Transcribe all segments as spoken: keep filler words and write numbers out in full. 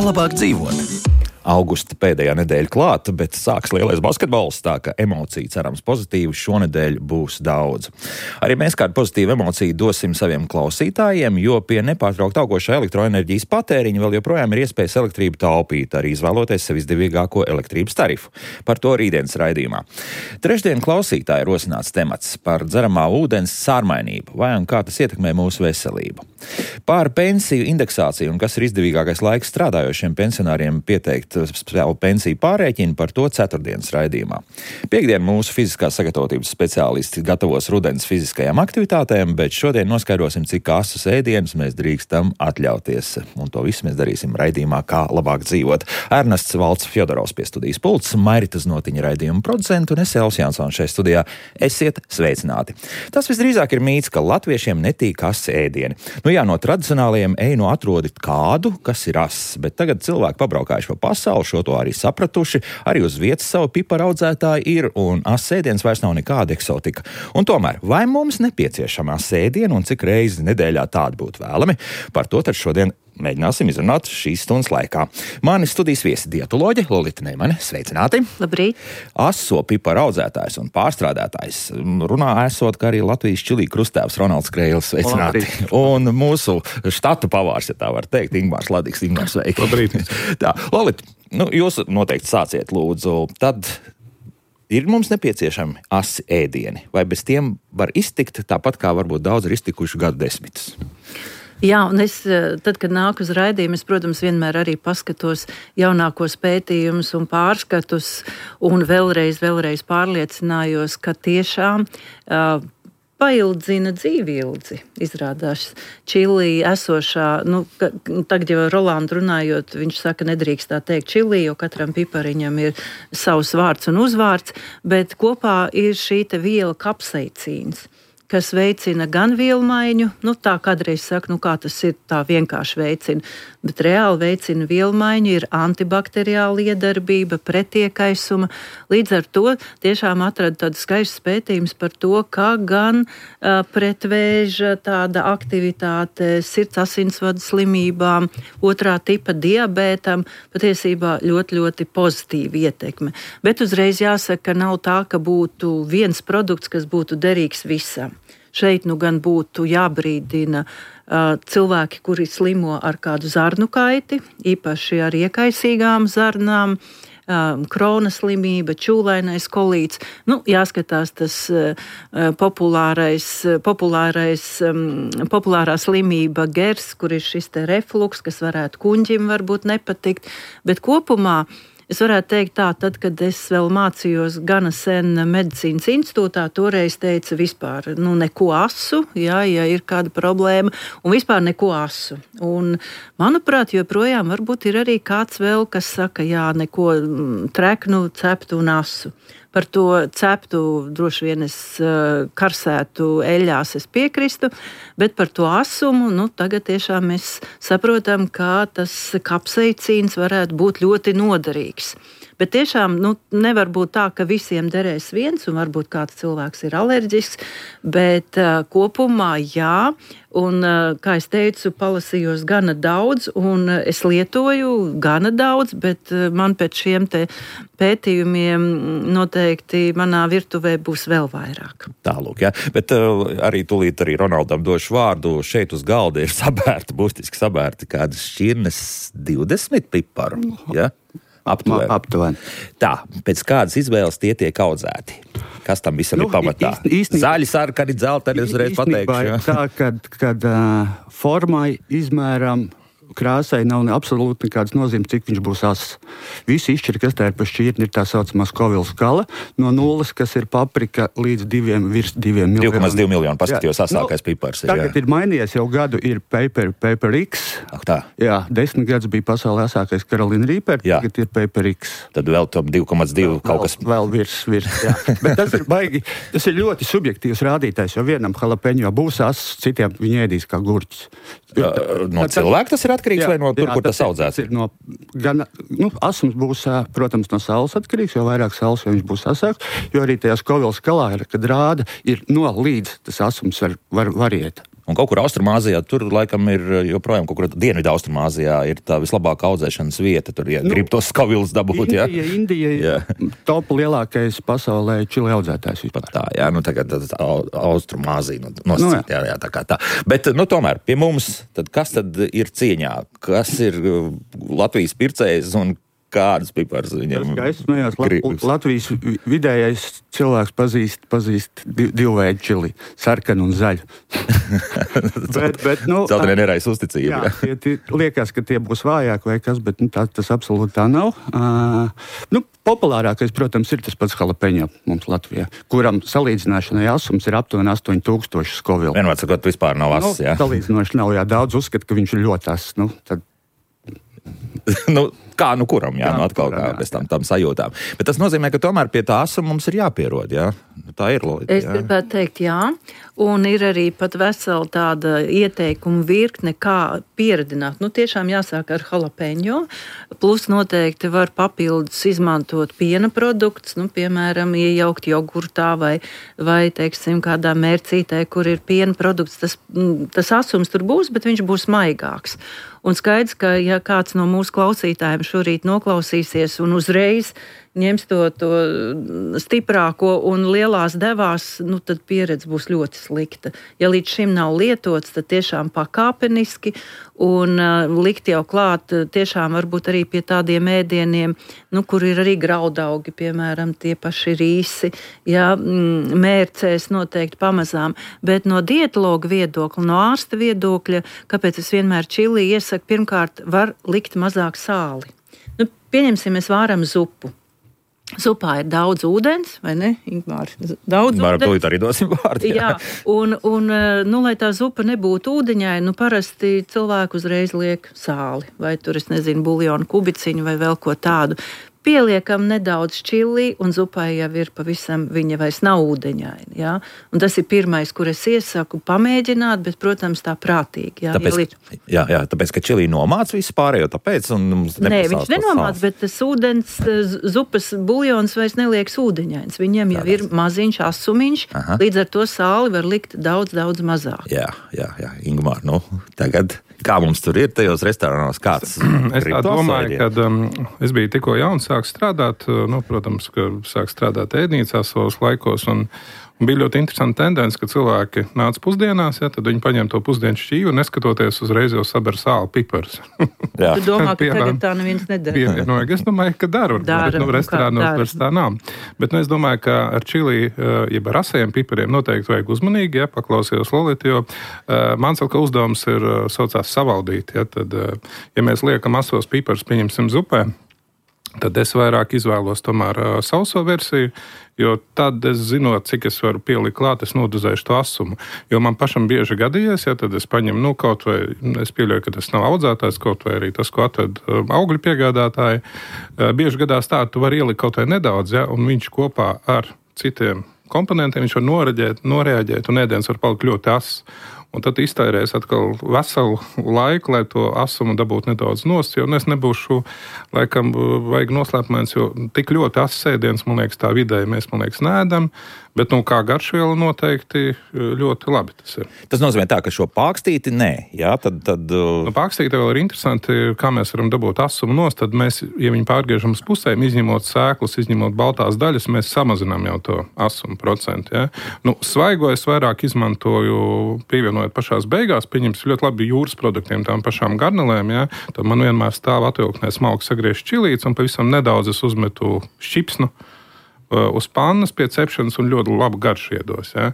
labāk dzīvot? Augusta pēdējā nedēļa klāta, bet sāks lielais basketbols, tā ka emociju cerams pozitīvi šonedēļ būs daudz. Arī mēs kādu pozitīvu emociju dosim saviem klausītājiem, jo pie nepārtraukt augošā elektroenerģijas patēriņa vēl joprojām ir iespējas elektrību taupīt, arī izvēloties sev izdevīgāko elektrības tarifu. Par to rītdienas raidījumā. Trešdien klausītāji rosināts temats par dzeramā ūdens sārmainību, vai un kā tas ietekmē mūsu veselību. Par pensiju indeksāciju un kas ir izdevīgākais laiks strādājošiem pensionāriem pieteikt savu pensiju pārrēķinu, par to ceturtdienas raidījumā. Piektdien mūsu fiziskās sagatavotības speciālisti gatavos rudens fiziskajām aktivitātēm, bet šodien noskaidrosim, cik asus ēdienus mēs drīkstam atļauties. Un to visu mēs darīsim raidījumā Kā labāk dzīvot. Ernests Valds Fjodorovs pie studijas pults, Mairita Znotiņa raidījuma producenta un es Elvis Jansons šeit studijā. Esiet sveicināti. Tas visdrīzāk ir mīts, ka latviešiem netīk asu ēdieni. Nu jā, no tradicionālajiem ej no atrodi kādu, kas ir ass, bet tagad cilvēki pabraukājuši pa pasauli, šo to arī sapratuši, arī uz vietas savu piparu audzētāji ir, un ass ēdiens vairs nav nekāda eksotika. Un tomēr, vai mums nepieciešama ass ēdiena un cik reizi nedēļā tāda būtu vēlami? Par to tad šodien mēģināsim izrunāt šīs stundas laikā. Mani studijas viesi dietoloģe Lolita Neimane, sveicināti! Labrīt! Aso piparu audzētājs un pārstrādātājs runā esot, ka arī Latvijas čilī krustēvs Ronalds Kreilis, sveicināti! Labrīt. Un mūsu štatu pavārs, ja tā var teikt, Ingmārs Ladiks. Ingmārs, sveiki! Labrīt! Tā, Lolita, nu, jūs noteikti sāciet, lūdzu, tad ir mums nepieciešami asi ēdieni, vai bez tiem var iztikt tāpat, kā varbūt daudz ir iztikuši gadu desmitus? Jā, un es, tad, kad nāku uz raidījumu, es, protams, vienmēr arī paskatos jaunākos pētījumus un pārskatus, un vēlreiz, vēlreiz pārliecinājos, ka tiešām uh, paildzina dzīvi ilgi, izrādās. Čilī esošā, nu, ka, tagad jau Rolandu runājot, viņš saka, nedrīkst tā teikt Čilī, jo katram pipariņam ir savs vārds un uzvārds, bet kopā ir šī te viela kapsaicīns, kas veicina gan vielmaiņu, nu tā kādreiz saka, nu kā tas ir, tā vienkārši veicina, bet reāli veicina vielmaiņu, ir antibakteriāla iedarbība, pretiekaisuma. Līdz ar to tiešām atrada tādu skaistu pētījumus par to, kā gan uh, pretvēža tāda aktivitāte sirds asinsvadu slimībām, otrā tipa diabētam, patiesībā ļoti, ļoti pozitīva ietekme. Bet uzreiz jāsaka, ka nav tā, ka būtu viens produkts, kas būtu derīgs visam. Šeit nu gan būtu jābrīdina uh, cilvēki, kuri slimo ar kādu zarnu kaiti, īpaši ar iekaisīgām zarnām, uh, krona slimība, čūlainais kolīts. Nu, jāskatās tas uh, populārais, populārais, um, populārā slimība gers, kur ir šis te refluks, kas varētu kuņģim varbūt nepatikt, bet kopumā es varētu teikt tā, tad, kad es vēl mācījos gana sen medicīnas institūtā, toreiz teica vispār, nu, neko asu, jā, ja ir kāda problēma, un vispār neko asu. Un, manuprāt, joprojām varbūt ir arī kāds vēl, kas saka, jā, neko treknu, ceptu un asu. Par to ceptu droši vien es uh, karsētu eļļās, es piekristu, bet par to asumu, nu, tagad tiešām mēs saprotam, kā tas kapsaicīns varētu būt ļoti noderīgs. Bet tiešām nu, nevar būt tā, ka visiem derēs viens, un varbūt kāds cilvēks ir alerģisks, bet uh, kopumā jā, un, uh, kā es teicu, palasījos gana daudz, un uh, es lietoju gana daudz, bet uh, man pēc šiem te pētījumiem noteikti manā virtuvē būs vēl vairāk. Tālūk, jā, bet uh, arī tūlīt arī Ronaldam došu vārdu. Šeit uz galda ir sabērti, būtiski sabērti kādas šķirnes divdesmit piparu, jā? Aptuveni. Aptuveni. Tā, pēc kādas izvēles tie tiek audzēti? Kas tam visam nu, ir pamatā? Īsti, īstenībā, Zaļi, sarkani, dzelteni, uzreiz pateikšu. Tā, kad, kad uh, formai, izmēram, krāsai nav absolūti nekādas nozīmes, cik viņš būs ass. Visi izšķiri, kas tā ir pa šķirni, ir tā saucamā Scoville skala, no nulles, kas ir paprika, līdz diviem, virs diviem miljoniem. divi komats divi miljoni, paskatījos, asākais pipars. Ir, tagad jā. Ir mainījies, jau gadu ir Paper, Paper X. Ak tā. Jā, desmit gadus bija pasaulē asākais Carolina Reaper, jā. Tagad ir Paper X. Tad vēl tom divi komats divi kaut kas. Vēl virs, virs, jā. Bet tas ir baigi, tas ir ļoti subjektīvs rādītājs, jo vienam jalapeņo būs ass, citiem viņi ēdīs kā gurķis. No cilvēka tas ir atkarīgs, jā, vai no tur, jā, kur tas, tas audzēts? Ir no, gan, nu, asums būs, protams, no saules atkarīgs, jo vairāk saules, jo viņš būs asāks, jo arī tajā Scoville skalā, kad rāda, ir no līdz tas asums var, var variēt. Un kaut kur Austrumāzijā, tur laikam ir joprojām kaut kur Dienvidu Austrumāzijā ir tā vislabākā audzēšanas vieta. Tur, ja nu, grib tos skavilus dabūt, Indija, jā. Indija ir top lielākais pasaulē čili audzētājs vispār. Pat tā, jā, nu tagad Austrumāzija nosacīt, nu, jā, jā, tā kā tā. Bet, nu tomēr, pie mums, tad kas tad ir cieņā? Kas ir Latvijas pircējs un kādas pipars viņam gribas? Latvijas vidējais cilvēks pazīst, pazīst divu veidu čili, sarkanu un zaļu. bet, bet, nu, Celtenie nerais uzticība. Jā, tie, tie, liekas, ka tie būs vājāki vai kas, bet nu, tā, tas absolūti tā nav. Uh, nu, populārākais, protams, ir tas pats jalapeņo mums Latvijā, kuram salīdzināšanai asums ir aptuveni astoņi tūkstoši Scoville. Vienmēr sakot, vispār nav ass, nu, jā? Salīdzinoši nav, jā, daudz uzskata, ka viņš ir ļoti ass. Nu, tad nu, kā nu kuram, jā, jā nu atkal kuram, kā jā, bez tam, tam sajūtām. Bet tas nozīmē, ka tomēr pie tā asuma mums ir jāpierod, jā? Tā ir loģika. Es gribētu teikt, jā. Un ir arī pat vesela tāda ieteikuma virkne, kā pieredināt. Nu, tiešām jāsāk ar jalapeņo. Plus noteikti var papildus izmantot piena produktus, nu, piemēram, iejaukt jogurtā vai, vai teiksim, kādā mērcītē, kur ir piena produkts. Tas, tas asums tur būs, bet viņš būs maigāks. Un skaidrs, ka ja kāds no mūsu klausītājiem šorīt noklausīsies un uzreiz ņems to, to stiprāko un lielās devās, nu, tad pieredze būs ļoti slikta. Ja līdz šim nav lietots, tad tiešām pakāpeniski un uh, likt jau klāt tiešām varbūt arī pie tādiem ēdieniem, nu, kur ir arī graudaugi, piemēram, tie paši rīsi, ja, mm, mērcēs noteikti pamazām. Bet no dietologa viedokļa, no ārsta viedokļa, kāpēc es vienmēr čili iesaku, pirmkārt, var likt mazāk sāli. Nu, pieņemsim, mēs vāram zupu. Zupā ir daudz ūdens, vai ne, Ingmār? Daudz Varam ūdens. tūlīt arī dosim vārdu. Jā, un, un nu, lai tā zupa nebūtu ūdeņai, nu, parasti cilvēku uzreiz liek sāli, vai tur, es nezinu, buljonu kubiciņu vai vēl ko tādu. Pieliekam nedaudz čili, un zupai jau ir pavisam, viņa vairs nav ūdeņaina. Ja? Un tas ir pirmais, kur es iesaku pamēģināt, bet, protams, tā prātīgi. Ja? Tāpēc, ja jā, jā, tāpēc, ka čili nomāc visu pārējo, tāpēc, un mums Nē, viņš nenomāc, bet tas ūdens, zupas buljons vairs nelieks ūdeņains. Viņam jau ir maziņš asumiņš, Aha. līdz ar to sāli var likt daudz, daudz mazāk. Jā, jā, jā, Ingmār, nu, tagad, kā mums tur ir tajos restorānos, kāds? Es tā domāju, kad um, es biju tikko jauns, sāk strādāt, nu, protams, ka sāk strādāt ēdnīcās savos laikos, un, un bija ļoti interesanti tendence, ka cilvēki nāca pusdienās, ja, tad viņi paņem to pusdienu šķīvu, un neskatoties uzreiz jau saber sāli piparus. Tu domā, ka tagad tā neviens nedara? Pievienoja, es domāju, ka dara, bet nu, restorānos vairs tā nav. Bet nu, es domāju, ka ar čili, jeb ar asajiem pipariem noteikti vajag uzmanīgi, ja, paklausījos Lolita, jo uh, mans atkal uzdevums ir uh, saucās savaldīt, ja, tad, uh, ja mēs liekam asos piparus, pieņemsim zupē, tad es vairāk izvēlos tomēr uh, sauso versiju, jo tad es zinot, cik es varu pielikt klāt, es nodozēšu to asumu. Jo man pašam bieži gadījies, ja tad es paņemu, nu, kaut vai, es pieļauju, ka tas nav audzētājs, kaut vai arī tas, ko atved uh, augļu piegādātāji. Uh, bieži gadās tā, tu vari ielikt kaut vai nedaudz, ja, un viņš kopā ar citiem komponentiem, viņš var noreaģēt, noreaģēt un ēdiens var palikt ļoti ass. Un tad iztērēs atkal veselu laiku, lai to asumu dabūtu nedaudz nost, jo es nebūšu, laikam, vajag noslēpumains, jo tik ļoti ass ēdiens, man liekas, tā vidēji mēs, man liekas, nēdam, bet, nu, kā garšviela noteikti ļoti labi tas ir. Tas nozīmē tā, ka šo pākstīti nē, jā, tad... tad uh... Nu, pākstīti vēl ir interesanti, kā mēs varam dabūt asumu nost, tad mēs, ja viņi pārgriežam uz pusēm, izņemot sēklus, izņemot baltās daļas, mēs samazinām jau to asumu procentu, ja. Nu, svaigo es vairāk izmantoju, pievienojot pašās beigās, pieņems ļoti labi jūras produktiem, tām pašām garnelēm, ja. Tad man vienmēr stāv atvilknē smalki sagriezt čilīts, un pavisam nedaudz es uzmetu šķipsnu uz pannas pie cepšanas un ļoti labu garšu iedos. Ja?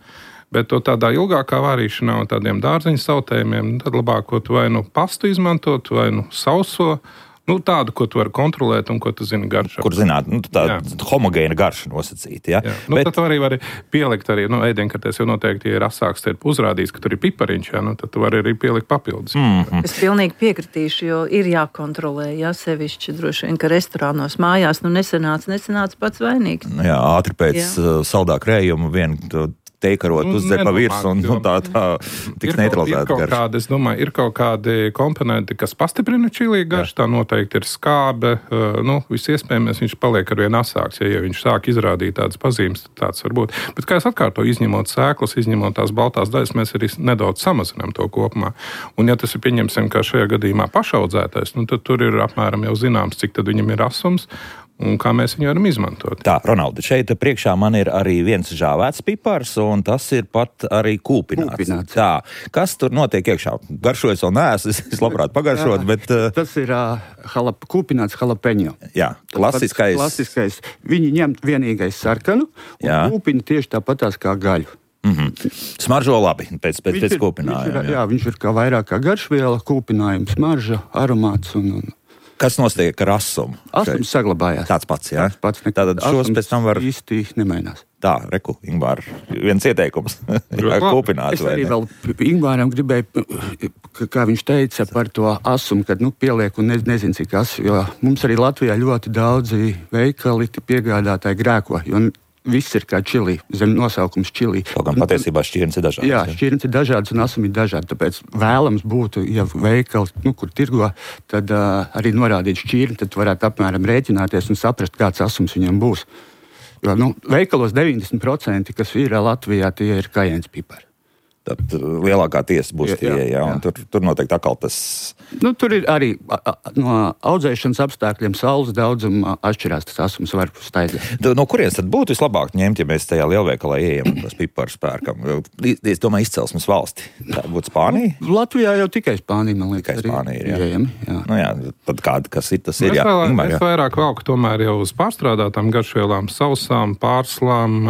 Bet to tādā ilgākā vārīšanā un tādiem dārzeņu sautējumiem, tad labāk, ko tu vai nu pastu izmantot, vai nu sauso, nu tādu, ko tu vari kontrolēt un ko tu zini garšā. Kur zināt, nu tā jā. homogēna garša nosacīta, ja? Jā. Nu, bet... tad tu arī vari pielikt arī, nu, ēdienkartēs jau noteikti, ja ir asāks, tad uzrādīs, ka tur ir pipariņš, ja? Nu, tad tu vari arī pielikt papildus. Mm-hmm. Es pilnīgi piekritīšu, jo ir jākontrolē, ja sevišķi droši vien, ka restorānos mājās, nu nesenāc, nesenāc pats vainīgs. Jā, ātri pēc jā. saldā krējuma vien teikarot, uzdzert pa virsmu un, un tā, tā tiks neutralizēta garša. Kādi, es domāju, ir kaut kādi komponenti, kas pastiprina čili garšu, tā noteikti ir skābe, nu, viss iespējams, viņš paliek arvien asāks, ja, ja viņš sāk izrādīt tādas pazīmes, tāds var būt. Bet, kā es atkārtoju, izņemot sēklas, izņemot tās baltās daļas, mēs arī nedaudz samazinām to kopumā. Un, ja tas ir, pieņemsim, kā šajā gadījumā pašaudzētais, nu, tad tur ir apmēram jau zināms, cik tad viņam ir asums, un kā mēs viņu varam izmantot. Tā, Ronaldi, šeit priekšā man ir arī viens žāvēts pipars, un tas ir pat arī kūpināts. kūpināts. Tā, kas tur notiek iekšā? Garšojas vēl neesmu, es labprāt pagaršot, bet... Uh... Tas ir uh, halap, kūpināts jalapeņo. Jā, klasiskais. klasiskais. Viņi ņem vienīgais sarkanu un jā. Kūpina tieši tāpatās kā gaļu. Mm-hmm. Smaržo labi pēc, pēc, pēc kūpinājuma. Viņš ir, jā, viņš ir kā vairāk kā garšviela, kūpinājums, smarža, aromāts un... un Kas notiek ar asumu? Asums saglabājās. Tāds pats, jā? Tāds pats. Tātad šos pēc tam var... īsti nemainās. Tā, reku, Ingvār, viens ieteikums. Kūpināt, es arī vēl Ingvāram gribēju, kā viņš teica par to asumu, kad, nu, pieliek un ne, nezinu, cik asu, jo mums arī Latvijā ļoti daudzi veikali piegādātāji grēko, jo viss ir kā čili, zem nosaukums čili. Kaut gan patiesībā šķirnes ir dažādas. Jā, šķirnes ir dažādas un asumi ir dažādi, tāpēc vēlams būtu, ja veikali, nu, kur tirgo, tad uh, arī norādīt šķirni, tad varētu apmēram rēķināties un saprast, kāds asums viņam būs. Jo, nu, veikalos deviņdesmit procenti, kas ir Latvijā, tie ir kajēns pipari. Tad lielākā tiesa būs tie, jā, jā, un tur, tur noteikti atkal tas... Nu, tur ir arī a, a, no audzēšanas apstākļiem saules daudzuma atšķirās, tas asums var staigāt. No kurienes tad būtu vislabāk ņemt, ja mēs tajā lielveikalā ieejam un tos piparus pērkam? Es domāju, izcelsmes valsti. Tā būtu Spānija? Latvijā jau tikai Spānija, man liekas. Tikai Spānija ir, jā. Ieejami, jā. Nu jā, tad kāda, kas ir, tas ir, jā. Es, Ingmar, jā. Es vairāk valku tomēr jau uz pārstrādātām garšvielām, sausām, pārslām,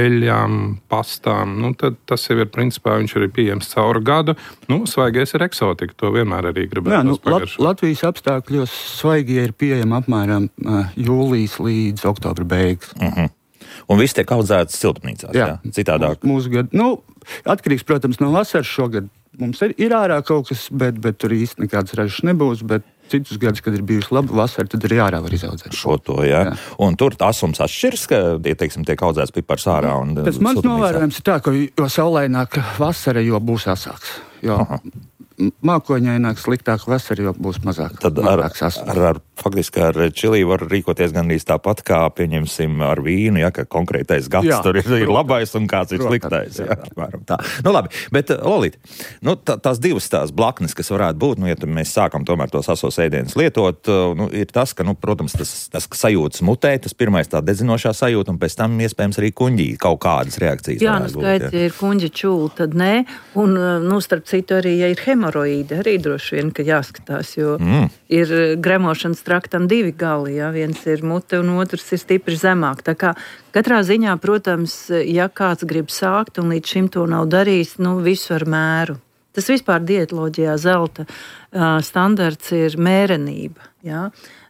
eļļām, pastām. Nu, tad tas jau ir principā, viņš ir pieejams cauru gadu. Nu, svaigais ir eksotika, to vienmēr arī gribētu. Jā, nu, Lat- Latvijas apstākļos svaigie ir pieejami apmēram uh, jūlijas līdz oktobra beigas. Uh-huh. Un viss tiek audzēts siltumnīcās, jā, jā? Citādāk. Mūsu gadu, nu, atkarīgs, protams, no vasaras šogad. Mums ir, ir ārā kaut kas, bet, bet tur īsti nekādas ražas nebūs, bet citus gadus, kad ir bijusi laba vasara, tad arī ārā var izaudzēt. Šo to, jā. jā. Un tur asums atšķirs, ka, ja, teiksim, tiek audzēts pipars ārā un tas mans novērojums ir tā, ka jo saulaināk vasara, jo būs asāks. Jo Aha. Mākoņaināk, sliktāk vasara, jo būs mazāk. Tad ar, ar, ar, faktiski ar čili var rīkoties gandrīz tāpat, kā, pieņemsim, ar vīnu, ja, ka konkrētais gads jā, tur ir, ir labais un kāds ir sliktais. Jā, jā, tā. Nu labi, bet Lolita, nu, tā, tās divas tās blaknes, kas varētu būt, nu, ja mēs sākam tomēr tos asos ēdienus lietot, nu, ir tas, ka, nu, protams, tas, tas sajūtas mutē, tas pirmais tā dedzinošā sajūta, un pēc tam iespējams arī kuņģī kaut kādas reakcijas. Jā, nu skaidrs, ja ir kuņģa čūla, tad nē, un, nu, starp citu arī, ja ir hemoroīdi, arī droši vien, ka jāskatās, jo mm. ir gremošanas traktam divi gali, jā, viens ir mute un otrs ir stipri zemāk. Tā kā katrā ziņā, protams, ja kāds grib sākt un līdz šim to nav darījis, nu, visu ar mēru. Tas vispār dietoloģijā zelta uh, standarts ir mērenība, jā.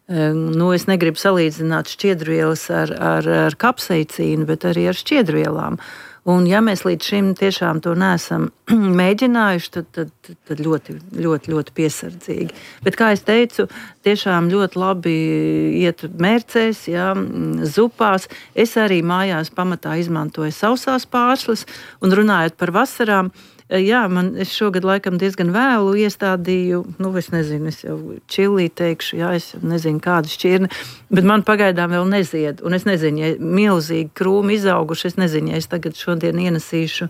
Uh, nu, es negribu salīdzināt šķiedrvielas ar, ar, ar kapsaicīnu, bet arī ar šķiedrvielām. Un ja mēs līdz šim tiešām to neesam mēģinājuši, tad, tad, tad ļoti, ļoti, ļoti piesardzīgi. Bet, kā es teicu, tiešām ļoti labi iet mērcēs, jā, zupās. Es arī mājās pamatā izmantoju sausās pārslas, un runājot par vasarām, jā, man es šogad laikam diezgan vēlu iestādīju, nu, es nezinu, es jau čilī teikšu, jā, es nezinu, kāda šķirne, bet man pagaidām vēl nezied, un es nezinu, ja milzīgi krūmi izauguši, es nezinu, ja es tagad šodien ienesīšu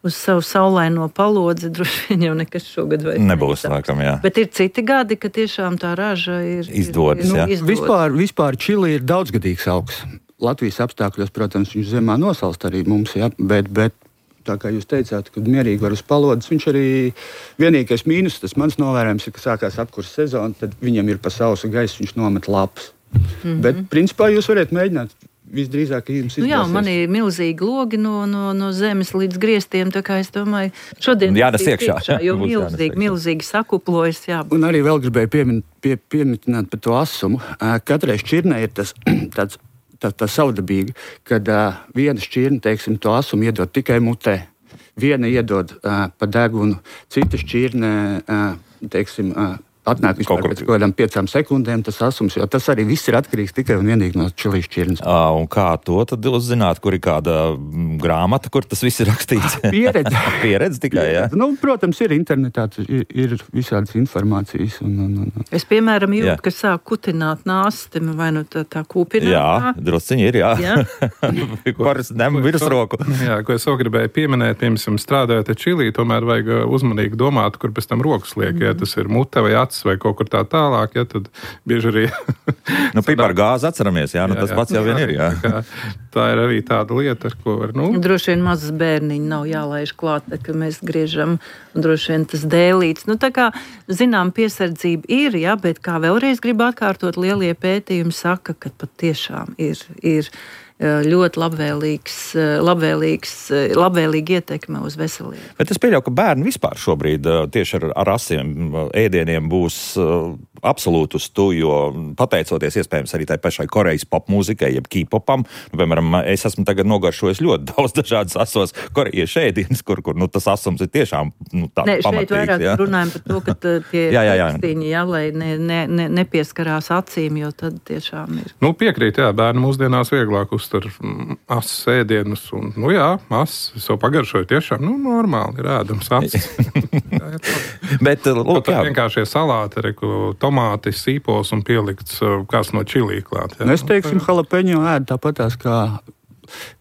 uz savu saulaino palodzi, droši vien jau nekas šogad vai nebūs, laikam, jā. Bet ir citi gadi, ka tiešām tā raža ir izdodas, ir, jā. Nu, izdodas. Vispār, vispār čili ir daudzgadīgs augs. Latvijas apstākļos, protams, viņš zemā nosalst arī mums, jā, bet, bet tā kā jūs teicāt, kad mierīgi var uz palodas, viņš arī vienīgais mīnus, tas mans novērojums ir, ka sākās apkurss sezona, tad viņam ir pa sausu gaisu, viņš nomet lapas. Mm-hmm. Bet, principā, jūs varat mēģināt visdrīzāk, ka jums izdosies. Nu jā, man ir milzīgi logi no, no, no zemes līdz griestiem, tā kā es domāju, šodien jānes iekšā, iekšā, jo milzīgi, milzīgi sakuplojas, jā. Un arī vēl gribēju piemin, pie, pieminēt par to asumu. Katrai šķirnei ir tas tāds Tā, tā savdabīga, kad uh, viena šķirne, teiksim, to asumu iedod tikai mutē, viena iedod uh, pa degunu, cita šķirne, uh, teiksim, uh, atnāk vispār kaut pēc kaut kādām piecām sekundēm tas asums, jo tas arī viss ir atkarīgs tikai un vienīgi no čilijas šķirnes. Uh, un kā to tad uzzināt, kur ir kāda grāmata, kur tas viss ir rakstīts? Pieredze. Pieredze tikai, jā? Nu, protams, ir internetā, ir, ir visādas informācijas. Un, un, un. Es, piemēram, jūtu, ka sāk kutināt nāsti, vai nu tā, tā kūpināt. Jā, drusciņi ir, jā. jā. Varas ņem virsroku. Jā, ko es vēl gribēju pieminēt, piemēram, strādājot ar čiliju, tomēr vajag uzmanīgi domāt, kur pēc tam rokas liek, ja tas ir mute vai acis vai kaut kur tā tālāk, ja tad bieži arī... nu, pipar gāzi atceramies, jā, nu jā, tas jā, pats jau vien ir, jā. Tā, tā ir arī tāda lieta, ar ko var, nu... Droši vien mazas bērniņi nav jālaiž klāt, ka mēs griežam, un droši vien tas dēlīts. Nu, tā kā, zinām, piesardzība ir, jā, bet kā vēlreiz gribu atkārtot, lielie pētījumi saka, ka pat tiešām ir, ir ļoti labvēlīgs, labvēlīgs, labvēlīga ietekme uz veselību. Bet es pieļauju, ka bērni vispār šobrīd tieši ar, ar asiem ēdieniem būs absolūti uz tu, jo pateicoties iespējams arī tai pašai Korejas popmūzikai, jeb K-popam, nu, piemēram, es esmu tagad nogaršojis ļoti daudz dažādas asos korejiešu ēdienas, kur, kur nu, tas asums ir tiešām nu, tā ne, pamatīgs. Šeit vairāk jā. runājam par to, ka tie jā, jā, jā. Tekstiņi, jā, lai ne, ne, ne, nepieskarās acīm, jo tad tiešām ir. Nu, piekrīt, jā, bērni mūsdienās vieglāk uztver asas ēdienus, un, nu jā, asas, es jau pagaršoju tiešām, nu, normāli ir ēdams asas. Bet, lūk, jā. Vienkāršie salāti, reku, tomāti, sīpols un pielikts kāds no čilī klāt. Jā. Es teiksim, jalapeņo ēd tāpatās kā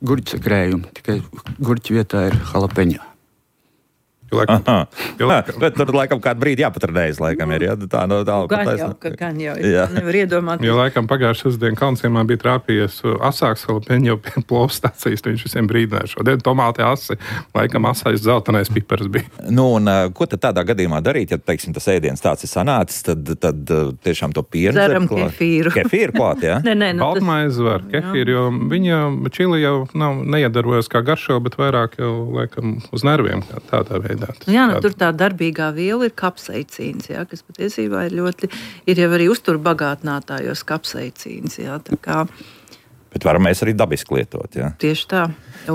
gurķa krējumi, tikai gurķa vietā ir jalapeņo. Laikam, laikam. Bet tur laikam kādu brīdi jāpatradējas, laikam ir, jā? Tā, no, tā, gan jau, ka gan jau, es nevaru iedomāt. Jo laikam pagājušas sestdien Kalnciemā bija trāpījies asāks jalapeņo pie plovas stācijas, viņš visiem brīdināja šodien tomāti asi, laikam asais zeltenais pipars bija. Nu, un ko tad tādā gadījumā darīt, ja, teiksim, tas ēdiens tāds ir sanācis, tad, tad tiešām to pienu dzeram kefīru. Kefīru klāt, jā? nē, nē, nu, Baltmaizi var, kefīru, jo viņa čili jau nav neiedarbojas kā garšo, bet vairāk jau, laikam, uz nerviem tādā veidā. Jā, nu, tur tā darbīgā viela ir kapsaicīns, jā, kas patiesībā ir ļoti, ir jau arī uzturbagātinātājos kapsaicīns, jā, tā kā. Bet varam mēs arī dabiski lietot, jā? Tieši tā.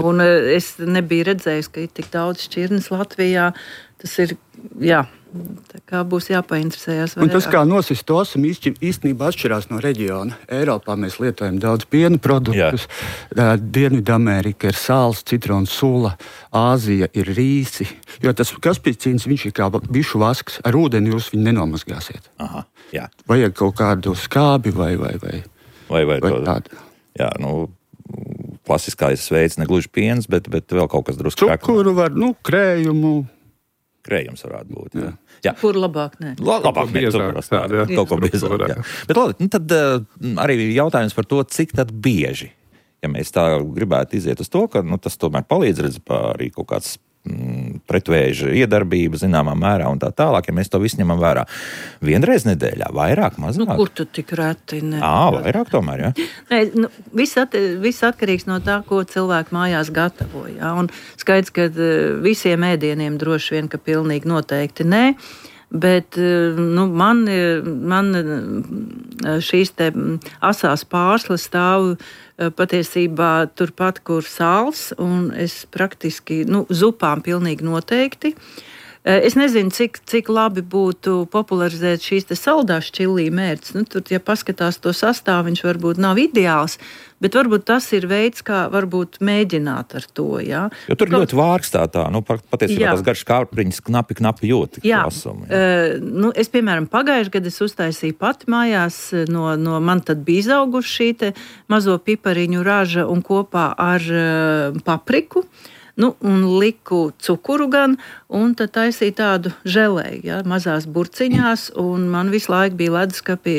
Un es nebiju redzējis, ka ir tik daudz šķirnes Latvijā. Tas ir, jā, tā kā būs jāpainteresējās. Un tas, kā nosist to asumu, īstenībā atšķirās no reģiona. Eiropā mēs lietojam daudz piena produktus, Dienvidamerika ir sāls, citrons, sula, Āzija ir rīsi, jo tas kaspicīns, viņš ir kā bišu vasks, ar ūdeni jūs viņu nenomazgāsiet. Aha, jā. Vajag kaut kādu skābi vai, vai, vai, vai, vai, vai to, tādu. Jā, nu, klasiskais veids, ne gluži piens, bet, bet vēl kaut kas drusku. Cukuru var, nu, krējumu. Krējums varētu būt. Jā. Jā. Kur labāk nē? Labāk nē, tur kaut ko biezāk. Jā. Bet labi, nu tad uh, arī jautājums par to, cik tad bieži, ja mēs tā gribētu iziet uz to, ka nu, tas tomēr palīdz redz arī kaut kāds mm, pretvēža iedarbība zināmā mērā un tā tālāk, ja mēs to visu ņemam vērā. Vienreiz nedēļā, vairāk, mazāk? Nu, kur tu tik reti? Ne? Ā, vairāk tomēr, jā? Nē, nu, viss, at, viss atkarīgs no tā, ko cilvēki mājās gatavo, jā, un skaidrs, ka visiem ēdieniem droši vien, ka pilnīgi noteikti nē, bet nu, man, man šīs te asās pārslas stāv patiesībā turpat, kur sāls, un es praktiski, nu, zupām pilnīgi noteikti. Es nezinu, cik, cik labi būtu popularizēt šīs te saldās čilī mērķis. Nu, tur, ja paskatās to sastāvu, viņš varbūt nav ideāls, bet varbūt tas ir veids, kā varbūt mēģināt ar to, jā. Jo tur Kaut... ļoti vārkstā tā, nu, patiesībā tās garš kārpriņas knapi, knapi jūt. Jā, asumu, jā. Uh, nu, es, piemēram, pagājuši gadu es uztaisīju pati mājās, no, no man tad bija izauguši šī te mazo pipariņu raža un kopā ar uh, papriku. Nu, un liku cukuru gan, un tad taisīju tādu želēju, ja, mazās burciņās, un man visu laiku bija leduskapī,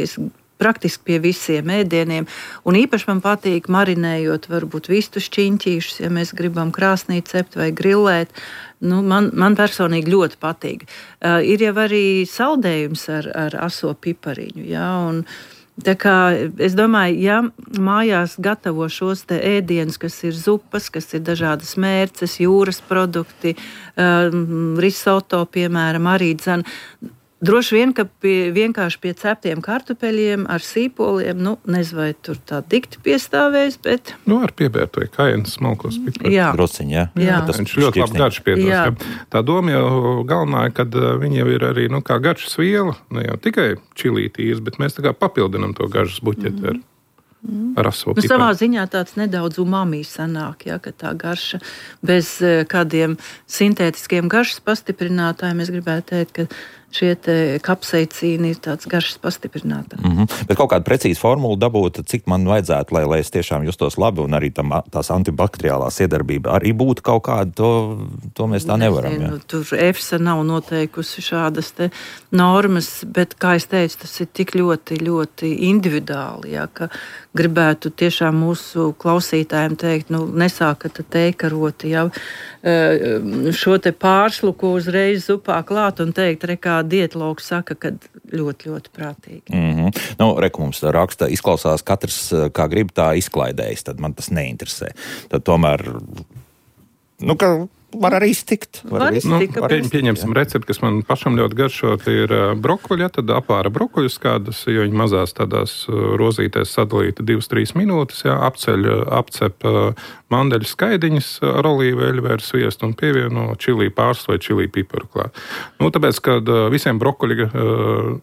praktiski pie visiem ēdieniem, un īpaši man patīk marinējot varbūt vistu šķiņķīšus, ja mēs gribam krāsnī cept vai grillēt. Nu, man, man personīgi ļoti patīk. Uh, ir jau arī saldējums ar, ar aso pipariņu, ja, un tā kā es domāju, ja mājās gatavo šos te ēdienus, kas ir zupas, kas ir dažādas mērces, jūras produkti, um, risoto, piemēram, arī dzen, Droši vien, ka pie, vienkārši pie ceptiem kartupeļiem ar sīpoliem, nu, nezinu, vai tur tā dikti piestāvēs, bet... Nu, ar piebērtu vai kājienas smalkos piparus. Jā. Drusciņ, jā. jā. Tas viņš ļoti labi garš piedos. Tā doma jau galvenā, kad viņi jau ir arī, nu, kā garšas viela, ne jau tikai čilītīrs, bet mēs tā kā papildinam to garšas buķeti ar, ar aso piparu. Nu, savā ziņā tāds nedaudz umami sanāk, jā, ka tā garša bez kādiem sintētiskiem garšas pastiprinātājiem, es gribētu teikt, ka šie kapseicīni ir tāds garšas pastiprinātājs. Mm -hmm. Bet kaut kāda precīza formula dabūt, cik man vajadzētu, lai, lai es tiešām justos labi, un arī tam, tās antibakteriālās iedarbība arī būtu kaut kāda, to, to mēs tā nevaram. Nezinu, tur EFSA nav noteikusi šādas te normas, bet, kā es teicu, tas ir tik ļoti, ļoti individuāli, jā, ka gribētu tiešām mūsu klausītājiem teikt, nu, nesākat teikaroti, jā, šo te pārsluku uzreiz zupā klāt un teikt, rekā dietologs saka, ka ļoti, ļoti prātīgi. Mm -hmm. Nu, reku mums raksta, izklausās katrs, kā grib, tā izklaidējas, tad man tas neinteresē. Tad tomēr, nu, ka var arī iztikt. Var var iztikt nu, pie, pieņemsim recepti, kas man pašam ļoti garšo, tie ir brokoļi, ja, tad apāra brokoļus kādas, jo viņi mazās tādās rozītēs sadalīta divas trīs minūtes, ja, apceļ, apcep mandeļu skaidiņas ar olīveļu vai ar sviestu un pievieno čilī pārstu vai čilī piparu klāt. Nu, tāpēc, kad visiem brokoļi uh,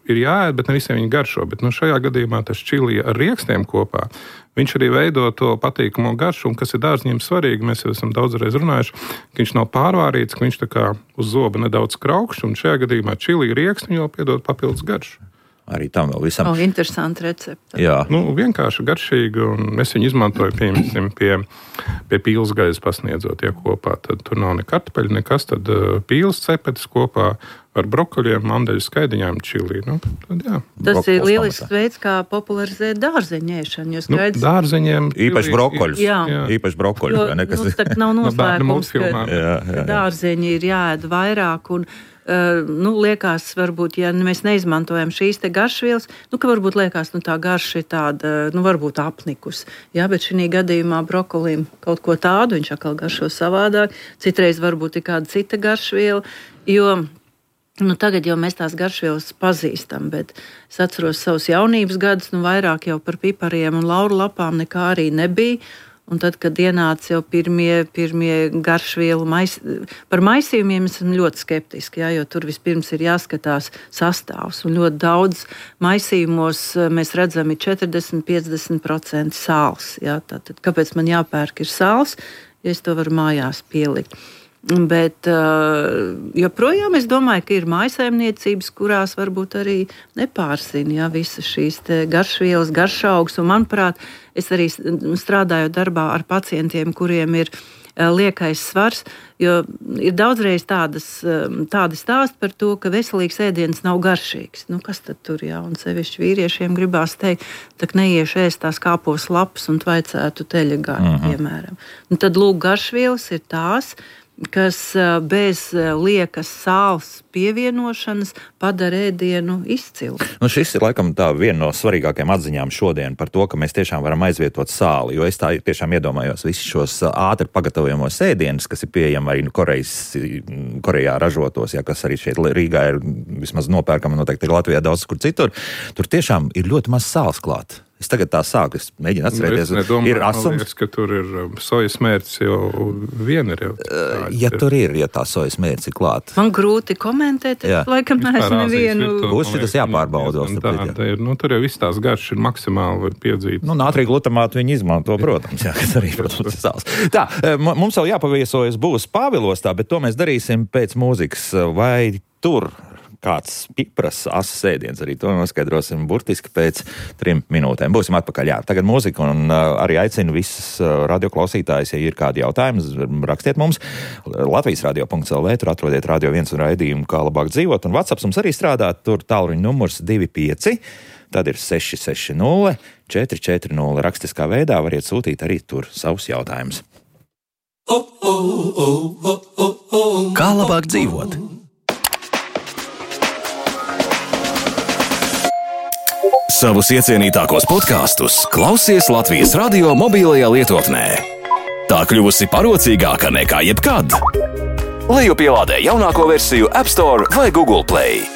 ir jāēd, bet ne visiem viņi garšo, bet nu, šajā gadījumā tas čilī ar riekstiem kopā, viņš arī veido to patīkamo garšu, un kas ir dārzņiem svarīgi, mēs jau esam daudzreiz runājuši, ka viņš nav pārvārīts, ka viņš tā kā uz zoba nedaudz kraukšs, un šajā gadījumā čilī rieksti jau piedod papildus garšu. Arī tam vēl visam. O, interesanti recepti. Jā. Nu, vienkārši garšīgi, un mēs viņu izmantojam, piemēram, pie, pie pīles gaļas pasniedzot, ja kopā. Tad tur nav ne kartupeļi, nekas, tad uh, pīles cepetes kopā ar brokoļiem, mandeļu skaidiņām, čilī. Nu, tad, jā. Tas Brokols ir lielisks pamatā. veids, kā popularizēt dārzeņēšanu. Jo skaidrs, nu, dārzeņiem īpaši brokoļus. Jā. Jā. Īpaši brokoļus. Jo, Nekas... nu, tā nav noslēpums, ka, jā, jā, jā. ka dārzeņi ir jāēd vairāk un Uh, nu, liekas, varbūt, ja mēs neizmantojam šīs te garšvielas, nu, ka varbūt liekas, nu, tā garša ir tāda, nu, varbūt apnikus. Jā, bet šī gadījumā brokolim kaut ko tādu, viņš atkal garšo savādāk. Citreiz varbūt ir kāda cita garšviela, jo nu, tagad jau mēs tās garšvielas pazīstam, bet es atceros savus jaunības gadus, nu, vairāk jau par pipariem un lauru lapām nekā arī nebija. Un tad, kad ienāca jau pirmie, pirmie garšvielu mais, par maisījumiem, es esmu ļoti skeptiski, jā, jo tur vispirms ir jāskatās sastāvs. Un ļoti daudz maisījumos mēs redzam ir četrdesmit līdz piecdesmit procenti sāls. Jā, tātad, kāpēc man jāpērk ir sāls, ja es to varu mājās pielikt? Bet joprojām es domāju, ka ir mājsaimniecības, kurās varbūt arī nepārsina jā, visas šīs garšvielas, garšaugs. Un, manuprāt, es arī strādāju darbā ar pacientiem, kuriem ir liekais svars, jo ir daudzreiz tādas, tādi stāsti par to, ka veselīgs ēdiens nav garšīgs. Nu, kas tad tur jā? Un sevišķi vīriešiem gribās teikt, tak neiešu ēst tās kāpos lapas un vajadzētu teļa gaļu, uh-huh. piemēram. Un tad lūk, garšvielas ir tās, kas bez liekas sāls pievienošanas padara ēdienu izcilu. Nu, šis ir laikam tā viena no svarīgākajām atziņām šodien par to, ka mēs tiešām varam aizvietot sāli, jo es tā tiešām iedomājos visus šos ātri pagatavojamos ēdienus, kas ir pieejami arī nu, Korejas, Korejā ražotos, ja, kas arī šeit Rīgā ir vismaz nopērkama, noteikti ir Latvijā daudz kur citur. Tur tiešām ir ļoti maz sāls klāt. Es tagad tā sāku, es mēģinu atcerēties, nu, es nedomāju, ir asums. Liekas, ka tur ir sojas mērķis jau vien ir jau. Tā, ja tur ir, ja tā sojas mērķis ir klāt. Man grūti komentēt, es laikam neesmu nevienu. Būs šitas jāpārbauda. Tā, tā ir, nu, tur jau viss tās garšas ir maksimāli piedzītas. Nu, nātrija glutamātu viņi izmanto, protams, jā, kas arī, protams, ir sāls. Tā, mums vēl jāpaviesojas būs Pāvilostā, bet to mēs darīsim pēc mūzikas. Vai tur kāds pipras asas ēdiens, arī to noskaidrosim burtiski pēc trim minūtēm. Būsim atpakaļ, jā. Tagad mūzika un uh, arī aicinu visus uh, radioklausītājus, ja ir kādi jautājumi, rakstiet mums. Latvijas radio punkts el vē, tur atrodiet Radio viens un raidījumu, kā labāk dzīvot, un WhatsApp mums arī strādā, tur tālruņa numurs divi pieci, tad ir seši seši nulle četri četri nulle. Rakstiskā veidā variet sūtīt arī tur savus jautājumus. Kā labāk dzīvot? Savus iecienītākos podkastus klausies Latvijas radio mobilajā lietotnē. Tā kļuvusi parocīgāka nekā jebkad. Lejupielādē jaunāko versiju App Store vai Google Play.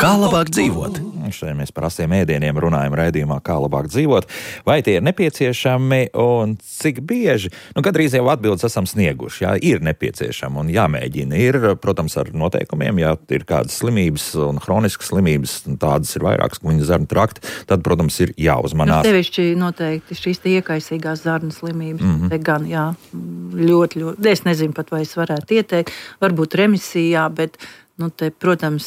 Kā labāk dzīvot? Šodien mēs par asiem ēdieniem runājam raidījumā, kā labāk dzīvot. Vai tie ir nepieciešami un cik bieži? Nu, gandrīz jau atbildes esam snieguši. Jā, ir nepieciešami un jāmēģina. Ir, protams, ar noteikumiem, ja ir kādas slimības un hroniskas slimības, tādas ir vairākas, kuņa zarnu trakti, tad, protams, ir jāuzmanās. Nu, sevišķi noteikti šīs tie iekaisīgās zarnu slimības. Mm-hmm. Te gan, jā, ļoti, ļoti. Es nezinu pat, vai es varētu ieteikt. Varbūt remisijā, bet nu, te, protams,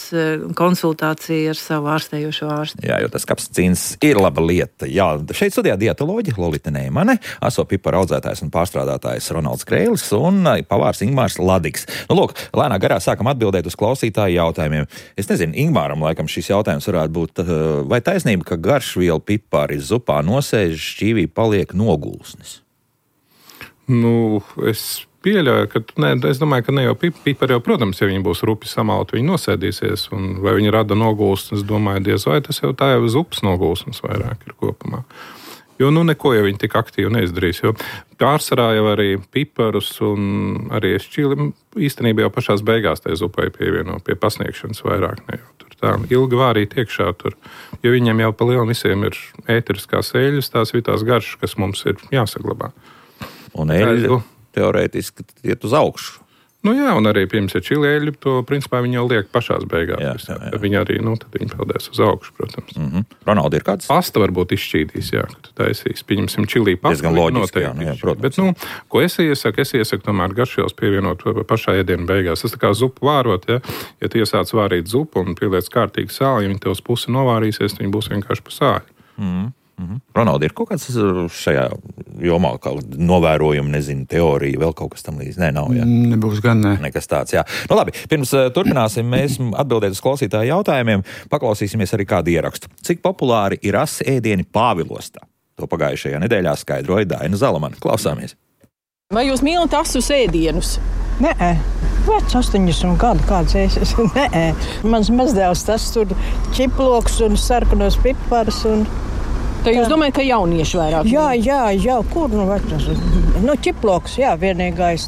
konsultācija ar savu ārstējošo ārstu. Jā, jo tas kapsicīns ir laba lieta. Jā, šeit studijā dietoloģi Lolita Neimane, aso piparu audzētājs un pārstrādātājs Ronalds Kreilis un pavārs Ingmārs Ladigs. Nu, lūk, lēnā garā sākam atbildēt uz klausītāju jautājumiem. Es nezinu, Ingmāram laikam šis jautājums varētu būt, vai taisnība, ka garšvielu pipari zupā nosēž, šķīvī paliek nogulsnis? Nu, es pieļauju, ka, ne, es domāju, ka ne jau pipari jau, protams, ja viņi būs rupi samalti, viņi nosēdīsies, un vai viņi rada nogulsnes, es domāju, diez vai tas jau tā jau zupas nogulsnes vairāk ir kopumā. Jo, nu, neko jau viņi tik aktīvi neizdarīs, jo pārsvarā jau arī piparus un arī šķīli īstenībā jau pašās beigās tai zupai pievieno pie pasniegšanas vairāk, ne jau tur tā ilgi vārīt iekšā tur, jo viņiem jau pa lielam visiem ir ēteriskās eļļas, tās ir tās garšas, kas mums ir jāsaglabā. Un eļļa teorētiski iet uz augšu. Nu jā, un arī, pirms ir čili eļļu, to principā viņi jau liek pašās beigās. Jā, jā, jā. Viņi arī, nu, tad viņi peldēs uz augšu, protams. Mm-hmm. Ronaldi, ir kāds? Pasta varbūt izšķīdīs, jā, ka tu taisīs. Pieņemsim čilī pastu. Diezgan loģiski, jā, nu, jā, protams. Bet, nu, ko es iesaku? Es iesaku tomēr garšvielas pievienot pašā ēdiena beigās. Tas tā kā zupu vārot, ja, ja tu iesāc vārīt zupu un pieliec kārtīgi sāli, ja viņi tev uz pusi novārīsies, viņi būs vienkārši pa sāļu. Mm-hmm. Mm-hmm. Ronaldi, ir kaut kāds šajā jomā kaut novērojumi, nezinu, teorija, vēl kaut kas tam līdz? Nē, nav, jā. Nebūs gan, ne. Nekas tāds, jā. Nu labi, pirms uh, turpināsim mēs atbildēt uz klausītāju jautājumiem, paklausīsimies arī kādu ierakstu. Cik populāri ir asi ēdieni Pāvilostā? To pagājušajā nedēļā skaidroja Daina Zalamana. Klausāmies. Vai jūs mīlat asus ēdienus? Nē, vec astoņdesmit gadu kāds es. Nē, mans mazdēls tas tur ķiploks un sarkanos piparus un... Ka jūs domājat, ka jaunieši vairāk? Jā, jā, jā, kur nu vecas? Nu, ķiploks, jā, vienīgais.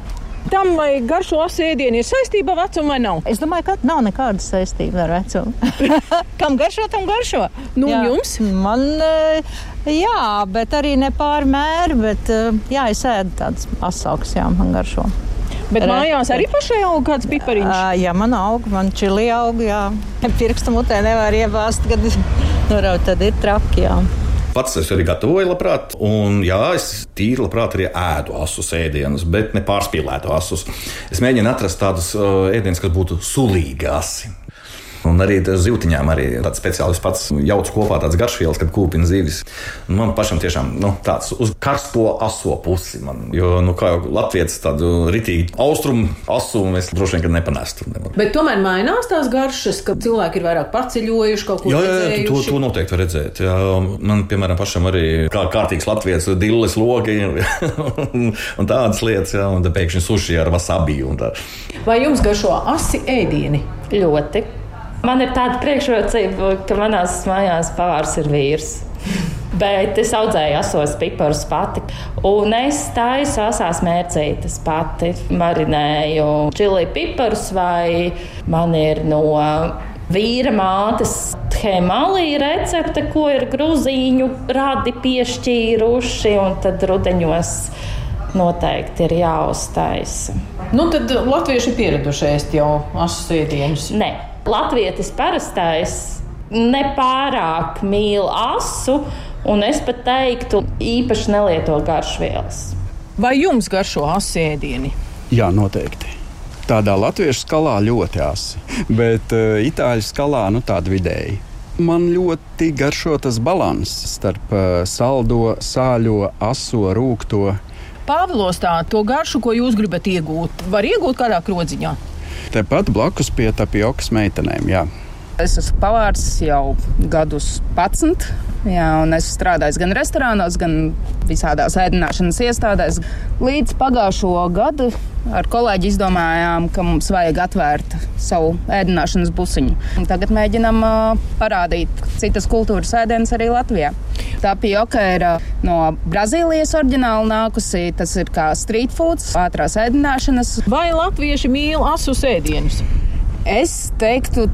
Tam, vai garšo asu ēdienu ir saistība ar vecumu vai nav? Es domāju, ka nav nekādas saistības ar vecumu. Kam garšo, tam garšo. Nu, jā. Jums? Man, jā, bet arī ne pārmēri, bet jā, es ēdu tādas asaukas, jā, man garšo. Bet Re... mājās arī pašai aug kāds pipariņš? Uh, jā, man aug, man čili aug, jā. Pirkstu mutē nevar iebāzt, kad nuraut, tad ir traki, jā. Pats es arī gatavoju labprāt, un jā, es tīri labprāt arī ēdu asus ēdienus, bet ne pārspīlētu asus. Es mēģinu atrast tādus uh, ēdienus, kas būtu sulīgi asi. Un arī zivtiņām arī tāds speciālis pats jauc kopā tāds garšvielas, kad kūpina zivis. Man pašam tiešām nu, tāds uz karsto aso pusi. Man, jo, nu, kā jau latvietis tādu ritīgi austrumu asu, mēs droši vien, kad nepanestu. Bet tomēr mainās tās garšas, ka cilvēki ir vairāk paceļojuši, kaut ko jā, jā, redzējuši? To, to noteikti var redzēt. Jā, man, piemēram, pašam arī kā kārtīgs latvietis dilles logi un tādas lietas, jā, un tā pēkšņi suši ar wasabi un tā. Vai jums garšo asi ēdieni? Ļoti. Man ir tāda priekšrocība, ka manās mājās pavārs ir vīrs. Bet es audzēju asos piparus pati. Un es taisu asās mērcītes pati. Marinēju čili piparus vai man ir no vīra mātes Hemalī recepte, ko ir gruzīņu radi piešķīruši. Un tad rudeņos noteikti ir jāuztaisa. Nu tad latvieši ir pieraduši ēst jau asus ēdienus? Nē. Latvietis parastais nepārāk mīl asu, un es pat teiktu, īpaši nelieto garšvielas. Vai jums garšo asu ēdieni? Jā, noteikti. Tādā latviešu skalā ļoti asi, bet uh, itāļu skalā nu tāda vidēji. Man ļoti garšo tas balanss starp uh, saldo, sāļo, aso, rūgto. Pāvilostā to garšu, ko jūs gribat iegūt, var iegūt kādā krodziņā? Tepat blakus pie tapiokas meitenēm, jā. Es esmu pavārs jau gadus padsmit, jā, un es strādāju gan restorānos, gan visādās ēdināšanas iestādēs. Līdz pagājušo gadu ar kolēģi izdomājām, ka mums vajag atvērt savu ēdināšanas busiņu. Un tagad mēģinam uh, parādīt citas kultūras ēdienas arī Latvijā. Tapioka ir uh, no Brazīlijas oriģināli nākusi, tas ir kā street foods, ātrās ēdināšanas. Vai latvieši mīl asus ēdienus? Es teiktu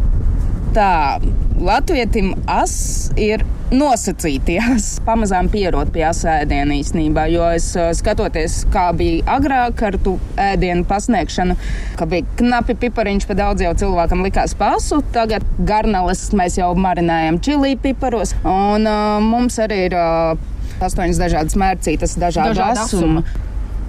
tā, latvietim as ir nosacīties, pamazām pierot pie asa ēdiena īstenībā, jo es skatoties, kā bija agrāk ar tu ēdienu pasniegšanu, ka bija knapi pipariņš, pa daudz jau cilvēkam likās pasu, tagad garneles mēs jau marinējam čilī piparos, un uh, mums arī ir uh, astoņas dažādas mērcītas, dažādi asumi.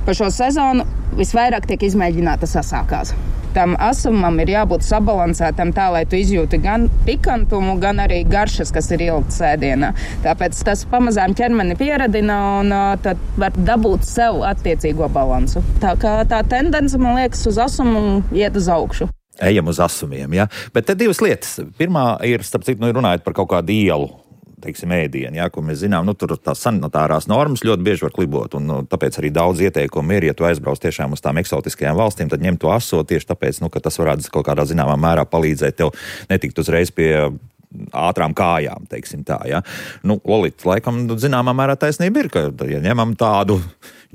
Pa šo sezonu visvairāk tiek izmēģinātas asākās. Tam asumam ir jābūt sabalansētam tā, lai tu izjūti gan pikantumu, gan arī garšas, kas ir ieliktas ēdienā. Tāpēc tas pamazām ķermeni pieradina un uh, tad var dabūt sev attiecīgo balansu. Tā kā tā tendence, man liekas, uz asumu iet uz augšu. Ejam uz asumiem, jā. Bet te divas lietas. Pirmā ir, starp citu, nu, runājot par kaut kādu ielu, teiksim, ēdienu, jā, ko mēs zinām, nu, tur tās sanitārās normas ļoti bieži var klibot, un nu, tāpēc arī daudz ieteikumu ir, ja tu aizbrauc tiešām uz tām eksotiskajām valstīm, tad ņem to aso tieši tāpēc, nu, ka tas varētu kaut kādā zināmā mērā palīdzēt tev netikt uzreiz pie ātrām kājām, teiksim tā, jā. Nu, Lolita, laikam, zināmā mērā taisnība ir, ka, ja ņemam tādu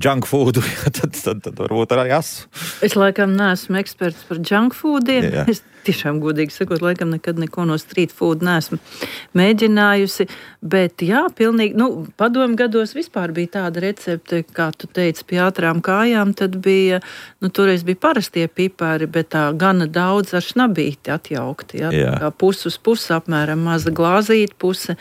junk foodu, tad, tad, tad varbūt arī asu. Es laikam neesmu eksperts par junk foodiem. Jā. Es tiešām godīgi sakot, laikam nekad neko no street food neesmu mēģinājusi, bet jā, pilnīgi, nu, padomu gados vispār bija tāda recepte, kā tu teici, pie ātrām kājām, tad bija, nu, toreiz bija parastie pipari, bet tā gana daudz ar šnabīti atjaukti, jā, jā. Kā pus uz pusi apmēram maza glāzīta, puse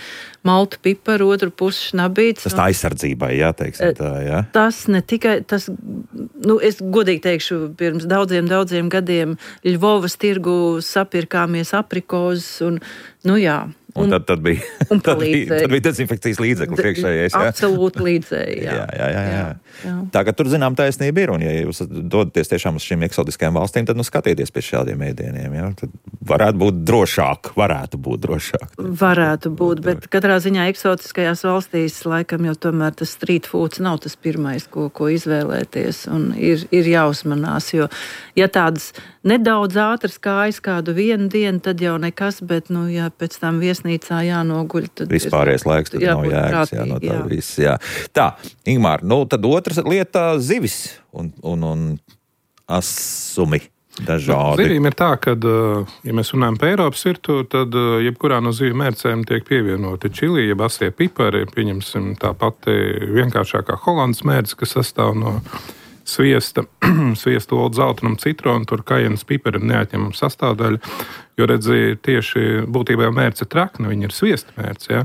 maltu piparu, otru pusi šnabīts. Tas tā aizsardzībai, jā, teiksim tā, jā. Tas ne tikai, tas, nu, es godīgi teikšu, pirms daudziem, daudziem gadiem Ļvovas tirgu sapirkāmies aprikozes un, nu jā. Un, un tad, tad, bija, un tad, bija, tad bija dezinfekcijas līdzekli priekšējais. Absolūti līdzēji, jā. jā, jā, jā, jā. jā. Tā, ka tur zinām taisnība ir, un ja jūs dodaties tiešām uz šīm eksotiskajām valstīm, tad nu skatieties pie šādiem ēdieniem, jā. Tad varētu būt drošāk, varētu būt drošāk. Varētu būt, bet katrā ziņā eksotiskajās valstīs laikam jau tomēr tas street foods nav tas pirmais, ko, ko izvēlēties, un ir, ir jāuzmanās, jo ja tādas nedaudz ātras kājas kādu vienu dienu, tad jau nekas, bet, nu, ja pēc tam viesnīcā jānoguļ, tad... Vispārējais laiks, tad nav jēgas, jā, no tā jā. Viss, jā. Tā, Ingmār, nu, tad otrs lieta zivis un, un, un asumi dažādi. Zivīm ir tā, ka, ja mēs runājam par Eiropas virtuvi, tad jebkurā no zivju mērcēm tiek pievienoti čili, jeb asie pipari, pieņemsim tā pati vienkāršākā holandas mērce, kas sastāv no sviesta, sviestu olu, zeltainam, citronu, tur kajenas pipari ir neatņemama sastāvdaļa, jo redzi, tieši būtībā mērce trakna, viņa ir sviesta mērce, ja?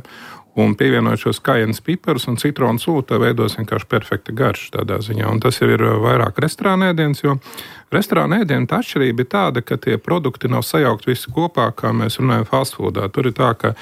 Un pievienojot šos kajenas piparus un citronu sulu, tā veidos vienkārši perfekta garša tādā ziņā. Un tas jau ir vairāk restorāna ēdiens, jo restorāna ēdiena tā atšķirība ir tāda, ka tie produkti nav sajaukt visi kopā, kā mēs runājam fast foodā. Tur ir tā, ka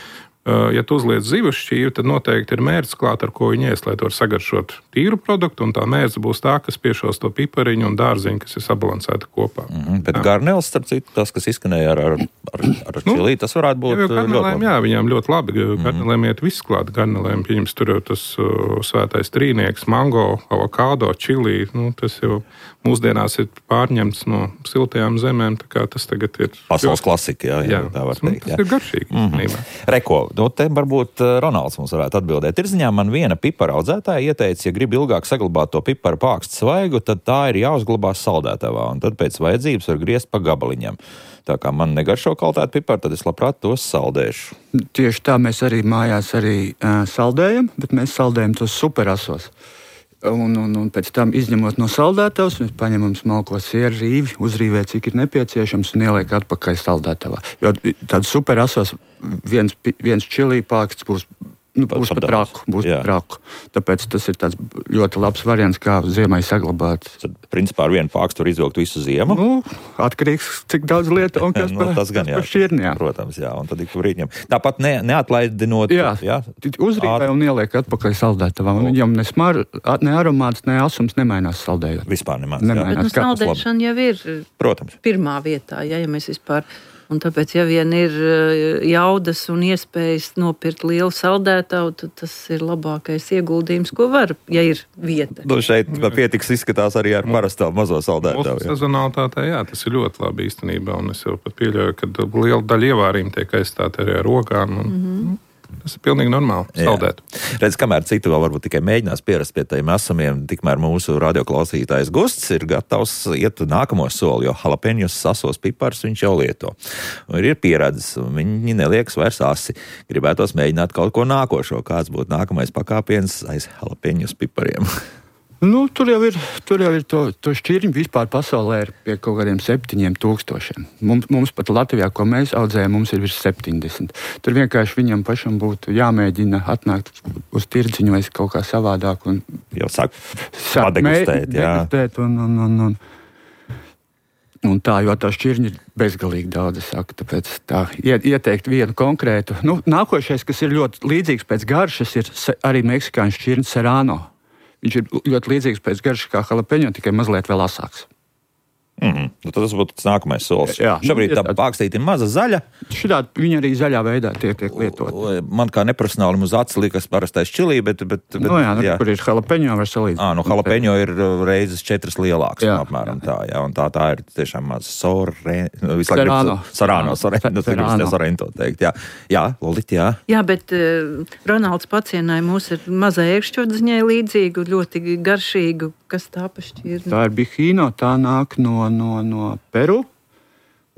ja tu uzliec zivs šķīvi, tad noteikti ir mērce klāt, ar ko viņi ies, lai to var sagaršot tīru produktu, un tā mērce būs tā, kas piešos to pipariņu un dārziņu, kas ir sabalansēta kopā. Mm-hmm, bet garneles, starp citu, tas, kas izskanēja ar, ar, ar, ar čilī, tas varētu būt jā, garnelēm, ļoti labi. Jā, viņām ļoti labi. Garnelēm mm-hmm. iet viss klāt. Garnelēm, pieņems, tur jau tas uh, svētais trīnieks, mango, avokādo, čilī, nu, tas jau mūsdienās ir pārņemts no siltajām zemēm, tā kā tas tagad ir... Pasaules klasika, jā, jā, jā, tā var nu, teikt. Tas jā. Ir garšīgi. Mm-hmm. Reko, nu, te varbūt Ronalds mums varētu atbildēt. Tirziņā man viena pipara audzētāja ieteica, ja grib ilgāk saglabāt to piparu pākstu svaigu, tad tā ir jāuzglabā saldētavā, un tad pēc vajadzības var griezt pa gabaliņam. Tā kā man negaršo kaltēt piparu, tad es labprāt tos saldēšu. Tieši tā mēs arī mājās arī uh, saldējam, bet mēs saldējam tos superasos. Un, un, un pēc tam izņemot no saldētavas, mēs paņemam smalko sieru rīvi, uzrīvē, cik ir nepieciešams, un ieliek atpakaļ saldētavā. Jo tāds superasos viens, viens čilī pāksts būs, nu, būs pat raku, būs pat raku. Tāpēc tas ir tāds ļoti labs variants, kā ziemai saglabāt. Tad, principā, ar vienu pākstu var izvilkt visu ziemu? Nu, atkarīgs, cik daudz lieta un kas no, par, gan, par šķirni, jā. Protams, jā, un tad ik brīdņam. Tāpat ne, neatlaidinot... Jā, jā? Uzrīvē un ieliek atpakaļ saldētavā. Un viņam ne smar, ne aromāts, ne asums nemainās saldējot. Vispār nemainās, nemainās. Bet nu, saldēšana jau ir Protams. Pirmā vietā, ja, ja mēs vispār... Un tāpēc, ja vien ir jaudas un iespējas nopirkt lielu saldētavu, tad tas ir labākais ieguldījums, ko var, ja ir vieta. Nu, šeit pietiks izskatās arī ar parastā mazo saldētavu. Mūsu sezonalitātē, jā, tas ir ļoti labi īstenībā, un es jau pat pieļauju, ka liela daļa ievārījuma tiek aizstāta arī ar rogām. Un, mm-hmm. Tas ir pilnīgi normāli, saldēt. Redz, kamēr citu vēl varbūt tikai mēģinās pierast pie tiem esamiem, tikmēr mūsu radioklausītājs Gusts ir gatavs iet nākamo soli, jo jalapeņus sasos pipars viņš jau lieto. Un ir pieredzes, un viņi neliekas vairs asi. Gribētos mēģināt kaut ko nākošo, kāds būtu nākamais pakāpiens aiz jalapeņus pipariem. Nu, tur jau ir, tur jau ir to, to šķirņu vispār pasaulē ir pie kaut kādiem septiņiem tūkstošiem. Mums, mums pat Latvijā, ko mēs audzējam, mums ir virs septiņdesmit. Tur vienkārši viņam pašam būtu jāmēģina atnākt uz tirdziņu vai kaut kā savādāk. Un, jau sāk padegustēt, jā. Degustēt un, un, un, un, un tā, jo tā šķirņa ir bezgalīgi daudz, saku, tāpēc tā ieteikt vienu konkrētu. Nu, nākošais, kas ir ļoti līdzīgs pēc garšas, ir arī meksikāņu šķirņa serrano. Viņš ir ļoti līdzīgs pēc garšas kā jalapeņo, tikai mazliet vēl asāks. Mm-hmm. Nu, tad tas būtu tas nākamais solis. Jā, šobrīd tā pākstīte ir maza zaļa. Šitā viņa arī zaļā veidā tiek, tiek lietot. Man kā neprofesionālim uz acis liekas parastais čilī, bet... bet, bet nu jā, nu, jā. Kur ir jalapeņo var salīdzināt. Ā, nu jalapeņo ir reizes četras lielāks, jā, apmēram jā. Tā, jā, un tā, tā ir tiešām maz sorre... Serrano. Serrano, sorrento, sorrento teikt, jā. Jā, Lolit, jā. Jā, bet uh, Ronalds pacienāja mūs ar mazai ēkšķotziņai līdzīgu, ļoti garšīgu. Kas tā pašķirna? Tā ir bihīno, tā nāk no, no, no Peru,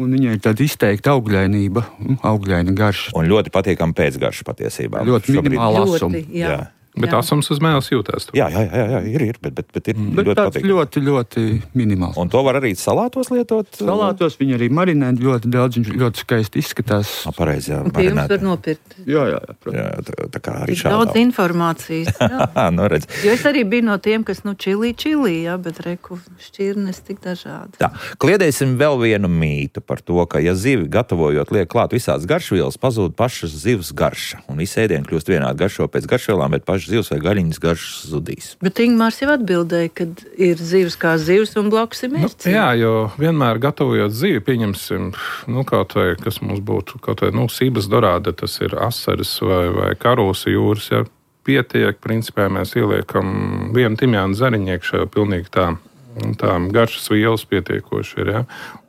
un viņai ir tāda izteikta augļainība, augļaina garša. Un ļoti patīkama pēcgarša patiesībā. Ļoti minimāla asuma. Ļoti, jā. jā. Bet jā. Asums uz mēles jūtās. Jā, jā, jā, jā, ir, ir, bet, bet, bet ir bet ļoti patīkami. ļoti, ļoti minimāls. Un to var arī salātos lietot? Salātos viņi arī marinē ļoti daudz, viņš ļoti skaisti izskatās. A, pareizi, jā, pie jums var nopirkt. Jā, jā, jā. jā tā, tā kā arī tik šādā. Daudz informācijas. Jā. no, redz. Jo es arī biju no tiem, kas, nu, čilī, čilī, jā, bet reku šķirnes tik dažādi. Tā, kliedēsim vēl vienu mītu par to, ka, ja zivi gatavojot liek klāt visādas garšvielas, pazūd pašas zivs garša. Un visi ēdieni kļūst vienādi garšo pēc garšvielām, bet pašas zivs vai gaļiņas garšas zudīs. Bet Ingmārs jau atbildēja, ka ir zivs kā zivs un blakus ir mērķis. Nu, jā, jo vienmēr gatavojot zivi, pieņemsim, nu, kaut vai, kas mums būtu, kaut vai, nu, sības dorāde, tas ir asaras vai, vai karūsa jūras, ja pietiek, principā mēs ieliekam vienu timjānu zariņu iekšā, pilnīgi tā, tā garšas vielas pietiekoši ir, ja.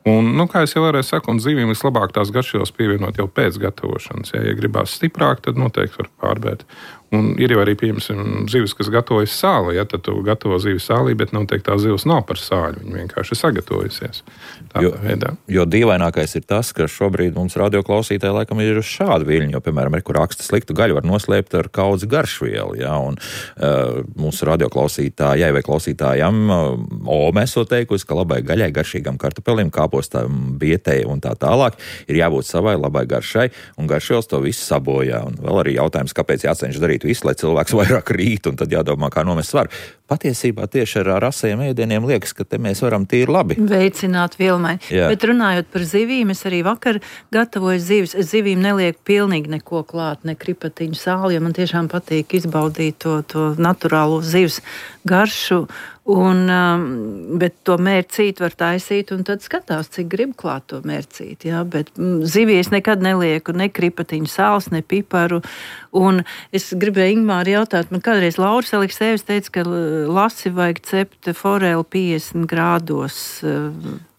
Un, nu, kā es jau varēju saku, un zivīm vislabāk tās garšvielas pievienot jau pēc gatavošanas, ja, ja gribās stiprāk, tad noteikti var pārbēt. Un ir jau arī, piemēram, zivis, kas gatavojas sāli, ja, tad tu gatavo zivi sālī, bet noteikti tā zivs nav par sāļu, viņa vienkārši ir sagatavojusies. Jo, jo dīvainākais ir tas, ka šobrīd mums radioklausītāji laikam ir uz šādu viļņu, jo, piemēram, ir, kur raksta sliktu gaļu var noslēpt ar kaudzi garšvielu, ja, un uh, mūsu radioklausītājai vai klausītājam uh, Ome esot teikusi, ka labai gaļai, garšīgam kartupelim, kāpostam, bietei un tā tālāk ir jābūt savai labai garšai, un garšvielas to visu sabojā. Un vēl arī jautājums, kāpēc jācenš darīt visu, lai cilvēks vairāk rīt, un tad jādomā, kā nomest svaru. Patiesībā tieši ar rasējiem ēdieniem liekas, ka te mēs varam tīri labi veicināt vielmaiņu. Bet runājot par zivīm, es arī vakar gatavoju zivis. Es zivīm nelieku pilnīgi neko klāt, ne kripatiņu sāli, jo man tiešām patīk izbaudīt to, to naturālo zivs garšu. Un, um, bet to mērcīti var taisīt, un tad skatās, cik grib klāt to mērcīti. Ja? Bet mm, zivī es nekad nelieku ne kripatiņu sāls, ne piparu. Un es gribēju Ingmāri jautāt, man kādreiz Lauris Aleksēvis teica, ka lasi vajag cept foreli piecdesmit grādos.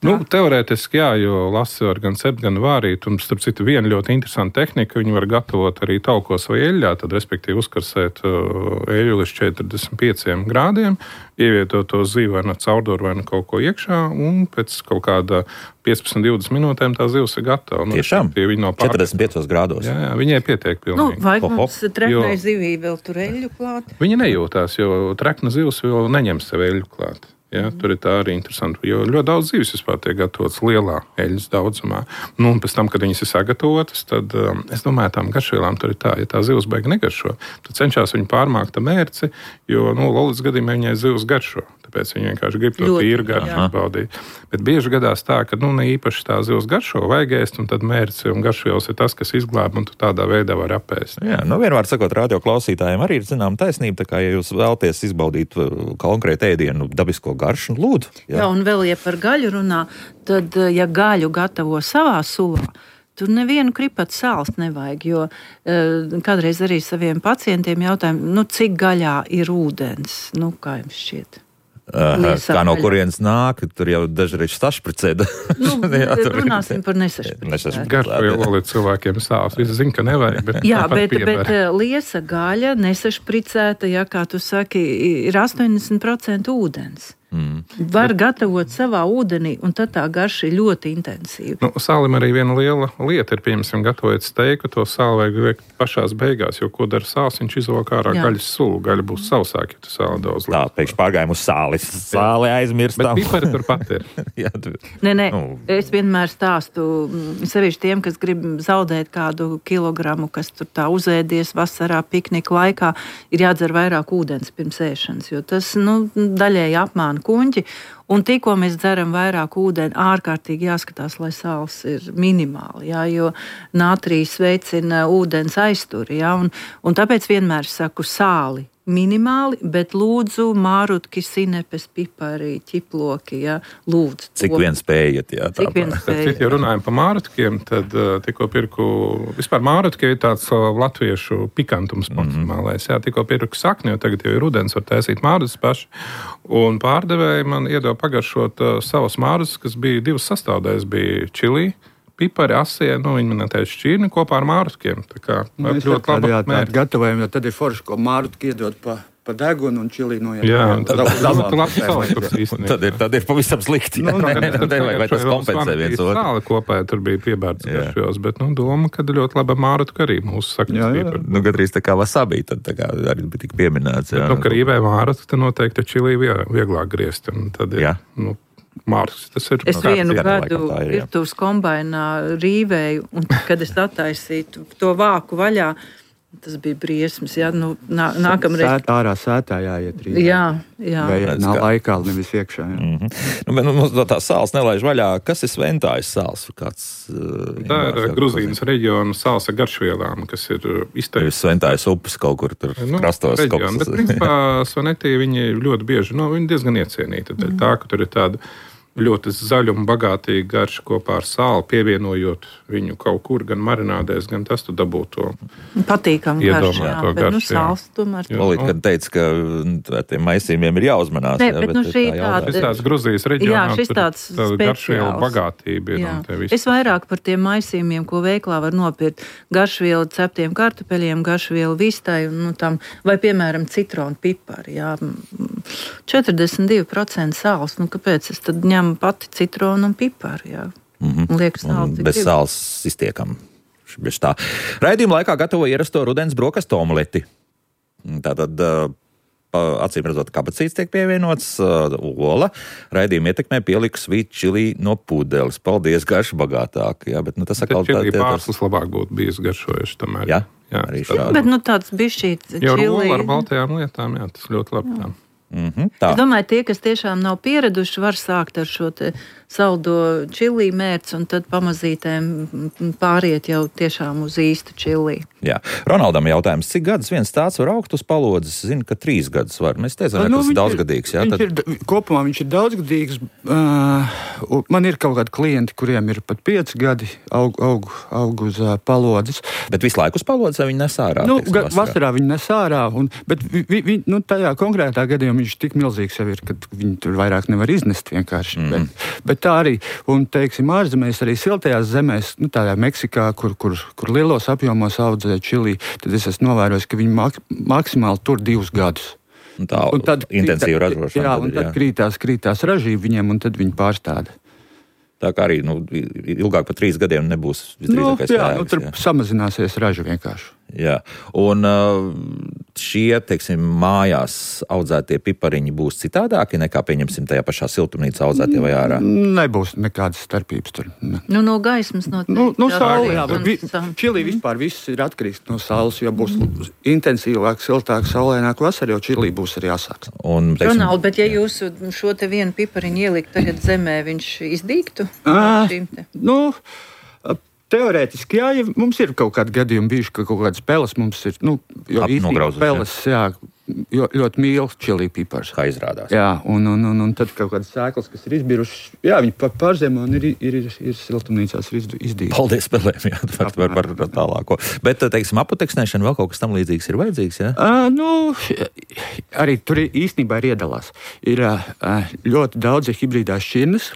Nu, teorētiski jā, jo lasi var gan cept, gan vārīt, un starp citu viena ļoti interesanta tehnika, viņi var gatavot arī taukos vai eļļā, tad respektīvi uzkarsēt eļļu līdz četrdesmit pieciem grādiem, ievietot to zivi vai no caurduru vai no kaut ko iekšā, un pēc kaut kāda piecpadsmit līdz divdesmit minūtēm tā zivs ir gatava. Tiešām? No četrdesmit piecos grādos? Jā, jā, viņai pietiek pilnīgi. Nu, vai mums treknai jo... zivī vēl tur eļļu klāt? Viņa nejūtās, jo trekna zivs vēl neņem sev eļļu klāt. Ja, tur ir tā arī interesanti, jo ļoti daudz zivis vispār tiek gatavotas lielā eļļas daudzumā. Nu, un pēc tam, kad viņas ir sagatavotas, tad um, es domāju, tām garšvielām tur ir tā, ja tā zivs beig negaršo, tad cenšas viņu pārmākt ar mērci, jo, nu, Lolits gadījumā viņai zivs garšo, tāpēc viņi vienkārši grib to tīru garšu baudīt. Bet bieži gadās tā, ka, nu, ne īpaši tā zivs garšo vajag ēst, un tad mērci un garšvielas ir tas, kas izglāb, un tu tādā veidā var apēst. Jā, nu, vienmēr sakot, radio klausītājiem arī ir zinām taisnība, tā kā, ja jūs vēlaties izbaudīt konkrētu ēdienu dabisko garšu, lūdzu. Jā. Jā, un vēl, ja par gaļu runā, tad, ja gaļu gatavo savā sulā, tur nevienu kripatu sāls nevajag, jo uh, kādreiz arī saviem pacientiem jautājumu, nu, cik gaļā ir ūdens, nu, kā jums šķiet? Uh, kā no kurienes nāk, tur jau dažreiz sašpricēda. Nu, jā, tur runāsim par nesašpricētu. Garšvielu līdz cilvēkiem sāls. Visi zin, ka nevajag, bet jā, bet, bet liesa gaļa, nesašpricēta, ja, kā tu saki, ir astoņdesmit procenti ūdens. Mm. Var bet, gatavot savā ūdenī, un tad tā garša ir ļoti intensīva. Nu, sālim arī viena liela lieta ir, piemēram, gatavojot steiku, to sāli vajag liekt pašās beigās, jo ko dara sāls, viņš izvelk ārā gaļas sulu, gaļa būs sausāk, ja tu sāli daudz liek. Tā, pēkšņi pārgājām uz sāli, sāli aizmirstam. Bet pipari turpat ir. Jā, tu... Nē, nē, nu. Es vienmēr stāstu, sevišķi tiem, kas grib zaudēt kādu kilogramu, kas tur tā uzēdies vasarā, piknika laikā, ir jādzer vairāk ūdens pirms ēšanas, jo tas, nu, daļēji apmāna kuņģi, un tikko mēs dzeram vairāk ūdeni, ārkārtīgi jāskatās, lai sāls ir minimāli, jā, jo nātrijs veicina ūdens aizturi, jā, un, un tāpēc vienmēr saku sāli minimāli, bet lūdzu mārutki, sinepes, pipari, ķiploki, jā, lūdzu. Cik vien spējat, jā. Cik vien spējat. Ja runājam par mārutkiem, tad uh, tikko pirku, vispār mārutki ir tāds uh, latviešu pikantums maksimālais, jā, tikko pirku sakni, jo tagad jau ir rudens, var taisīt mārutas paši, un pārdevēji man iedeva pagaršot uh, savas mārutas, kas bija divas sastāvdaļas, bija čilī, pipari, asie, nu, viņi man teica šķirni kopā ar mārutkiem. Tā kā mēs ļoti labi jā, tādu gatavojam, jo tad ir forši, ko mārutki iedod pa, pa degunu un čilī noiet. Jā, un tad, tad, tad, tad, tad, ir, tad ir pavisam slikti. Nu, ne, ne, ne, vai, vai tas kompensē viens otru? Sāli kopā tur bija piebērts garšos, bet, nu, doma, ka ļoti laba mārutku arī mūsu saknes pipari. Nu, gadrīz tā kā wasabī, tad tā kā arī bija tik pieminēts. Jā. Bet, nu, ka rīvē mārutku, tad noteikti čilī vieglāk griezt. Un tad ir, nu, Mārks, tas ir es vienu gadu virtuves kombainā rīvēju, un kad es attaisītu to vāku vaļā, tas bija briesmas, jā, nu, nā, nākamreiz. Sēt, ārā sētā jāiet rīvē. Jā, jā. Vai nav laikā, nevis iekšā, jā. Mm-hmm. Nu, bet mums no tā sāls nelaiž vaļā. Kas ir Sventājas sāls? Kāds, uh, tā ir Gruzīnas reģiona sāls ar garšvielām, kas ir izteikti. Sventājas upes kaut kur tur nu, krastos. Reģiona, bet principā Svenetī viņi ļoti bieži, nu, viņi diezgan iecienīti. Mm. Tā, ka tur ir tāda ļoti zaļa un bagātīga garša kopā ar sāli, pievienojot viņu kaut kur, gan marinādēs, gan tas tu dabū to patīkam garšu, jā, to bet garšu, nu sāls tomēr. Olīt, kad teica, ka ar tiem maisījumiem ir jāuzmanās. Ne, jā, bet, bet nu šī tāda... Šis tāds Gruzijas reģionā, jā, šis tāds tāda garšviela bagātība ir. Un te viss. Es vairāk par tiem maisījumiem, ko veiklā var nopirkt. Garšvielu ceptiem kartupeļiem, garšvielu vistai, un, nu, tam, vai, piemēram, citronu pipari, jā. četrdesmit divi procenti sāls, nu, kāpēc es tad ņemu pati citronu un piparu, jā. Mm-hmm. Liekas, sāli, bez sāls iztiekam. Raidījuma laikā gatavo ierasto rudens brokastu omleti. Tātad, acīm redzot, kabaciņas tiek pievienots, ola. Raidījuma ietekmē pieliku sweet chili no pudeles. Paldies, garša bagātāk. Jā, bet, nu, tas atkal tā... Čili pārslas labāk būtu bijis garšojuši tomēr. Jā, jā arī šādi. Bet, nu, tāds bišķīt čili. Jo rola ar baltajām lietām, jā, tas ļoti labi tā. Mm-hmm, tā. Es domāju, tie, kas tiešām nav pieraduši, var sākt ar šo te saldo čili mērci un tad pamazītēm pāriet jau tiešām uz īstu čili. Jā. Ronaldam jautājums, cik gadus viens tāds var augt uz palodzes? Zinu, ka trīs gadus var. Mēs teicām, ka nu, tas ir daudzgadīgs. Jā, tad... ir, kopumā viņš ir daudzgadīgs. Uh, man ir kaut kādi klienti, kuriem ir pat pieci gadi aug, aug, aug uz uh, palodzes. Bet visu laiku uz palodzes viņi nes ārā? Nu, teiksim, vasarā. vasarā viņi nes ārā. Un, bet vi, vi, vi, nu, tajā konkrētā gadījumā viņš tik milzīgs jau ir, ka viņi tur vairāk nevar iznest vienkārši. Mm. Bet, bet tā arī, un teiksim, ārzemēs arī siltajās zemēs, nu tādā Meksikā, kur, kur, kur lielos apjomos audzē čili, tad es esmu novērojis, ka viņi mak, maksimāli tur divus gadus. Un tā un tad intensīva ražošana. Jā, un tad jā. krītās, krītās ražība viņiem, un tad viņi pārstāda. Tā kā arī nu, ilgāk par trīs gadiem nebūs visdrīzākais nu, jā, jēgas. Nu, tur jā. samazināsies raža vienkārši. Jā, un šie, teiksim, mājās audzētie pipariņi būs citādāki nekā, pieņemsim, tajā pašā siltumnīcā audzētie vai ārā? Nebūs nekādas starpības tur. Ne. Nu, no gaismas noteikti. Nu, no saules, jā, bet vi, čili vispār viss ir atkarīgs no saules, jo būs intensīvāk, siltāk, saulēnāk vasarā, jo čili būs arī asāks. Un, teiksim, Ronald, bet ja jūs šo te vienu pipariņu ielikt tagad zemē, viņš izdīgtu? À, nu... Teorētiski, jā, ja mums ir kaut kādi gadījumi bijuši, ka kaut kādas peles mums ir, nu, jo īstenībā peles, jā, ļoti, ļoti mīl čili pipars. Kā izrādās. Jā, un, un, un, un tad kaut kādas sēklas, kas ir izbirušas, jā, viņi pa, pārzemo un ir, ir, ir, ir siltumnīcās izdīti. Paldies spēlēm, jā, par, par, par, par tālāko. Bet, teiksim, apoteksnēšana vēl kaut kas tam līdzīgs ir vajadzīgs, jā? Uh, nu, arī tur īstenībā ir iedalās. Ir uh, ļoti daudz hibrīdās šķirnes,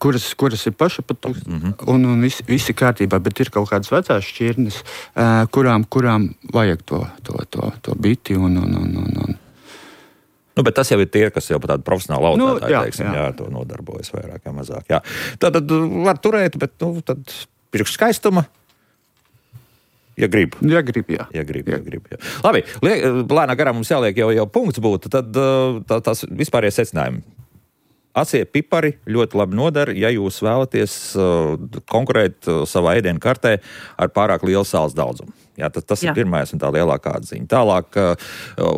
kuras, kuras ir pašapatūks, mm-hmm. un, un visi, visi kārtībā, bet ir kaut kādas vecās šķirnes, uh, kurām, kurām vajag to, to, to, to biti un, un, un, un, un. Nu, bet tas jau ir tie, kas jau pat tādu profesionālu audzētāju, nu, jā, teiksim, jā. jā, to nodarbojas vairāk vai mazāk, jā. Tad, tad var turēt, bet, nu, tad priekš skaistuma, ja grib. Ja grib, jā. Ja grib, ja grib, jā. Labi, lēnā garā mums jāliek jau, jau punkts būtu, tad tā, tās vispārējie secinājumi. Acie pipari ļoti labi nodara, ja jūs vēlaties uh, konkurēt uh, savā ēdienu kartē ar pārāk lielu sāls daudzumu. Jā, tad tas Jā. ir pirmais un tā lielākā atziņa. Tālāk uh,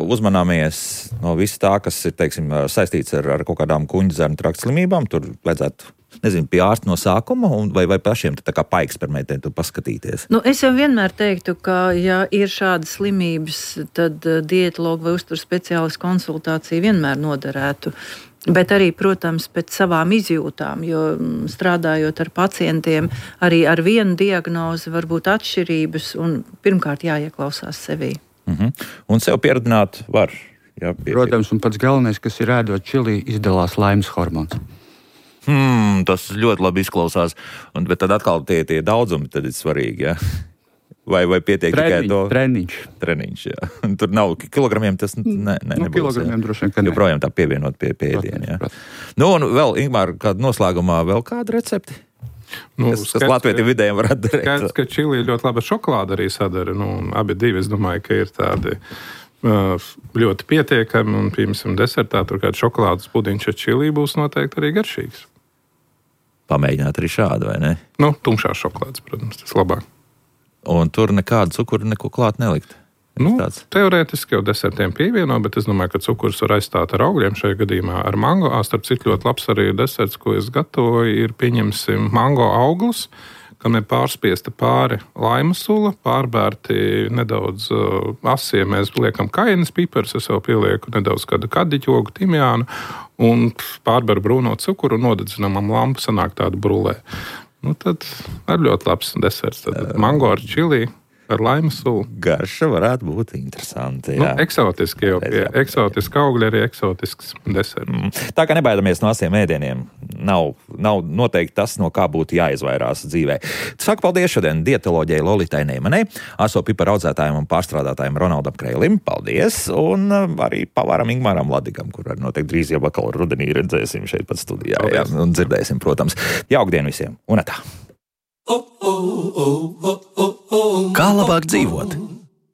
uzmanāmies no viss tā, kas ir, teiksim, saistīts ar, ar kaut kādām kuņģa zarnu trakta slimībām. Tur vajadzētu, nezinu, pie ārsta no sākuma un vai, vai pašiem tā kā paeksperimentēt un paskatīties. Nu, es jau vienmēr teiktu, ka, ja ir šādas slimības, tad uh, dietologu vai uzturu speciālistu konsultācija vienmēr noderētu. Bet arī, protams, pēc savām izjūtām, jo strādājot ar pacientiem, arī ar vienu diagnozi var būt atšķirības un pirmkārt jāieklausās sevī. Mm-hmm. Un sev pieradināt var. Jā, pie... Protams, un pats galvenais, kas ir ēdot čili, izdalās laimes hormons. Hmm, tas ļoti labi izklausās, un, bet tad atkal tie, tie daudzumi tad ir svarīgi, jā. Vai, vai pietiek Treniņ, tikai to? Treniņš. Treniņš, jā. Tur nav kilogramiem, tas ne, ne, nu, nebūs. Kilogramiem droši vien, ka ne. Joprojām tā pievienot pie pēdiena, jā. Nu, un vēl, Ingmār, kāda noslēgumā vēl kāda recepti? Nu, kas, kas latvietiem vidējiem varētu darīt? Skaidrs, ka čili ļoti laba šokolāda arī sadara. Nu, abi divi, es domāju, ka ir tādi uh, ļoti pietiekami, un, piemēram, desertā tur kāds šokolādes pudiņš ar čili būs noteikti arī garšīgs. Pamēģināt arī šādu, vai ne? Nu, tumšās šokolādes, protams, tas labāk. Un tur nekādu cukuru neko klāt nelikt. Nu, teorētiski jau desertiem pievieno, bet es domāju, ka cukurs var aizstāt ar augļiem šajā gadījumā ar mango. Starp citu, ļoti labs arī deserts, ko es gatavoju, ir pieņemsim mango auglis, kam ir pārspiesta pāri laimas sula, pārbērti nedaudz uh, asie, mēs liekam kainas piperus, es jau pielieku nedaudz kādu kadiķogu, timjānu un pārberu brūno cukuru un nodedzinām lampu, sanāk tādu brulē. Nu, tad ar ļoti labs deserts. Tad mango ar čili, ar laimas sulu. Garša varētu būt interesanti. Nu, eksotiski jau pie eksotiski augļi, arī eksotisks deserts. Mm. Tā kā nebaidamies no asiem ēdieniem, nav, nav noteikti tas, no kā būtu jāizvairās dzīvē. Saku paldies šodien dietoloģijai Lolitai Neimanai, aso piparu audzētājiem un pārstrādātājiem Ronaldam Kreilim. Paldies! Un arī pavāram Ingmāram Ladigam, kur arī noteikti drīz jau vakar rudenī redzēsim šeit pat studijā. Jā, un dzirdēsim, protams. Jaukdien visiem! Un atā! Kā labāk dzīvot?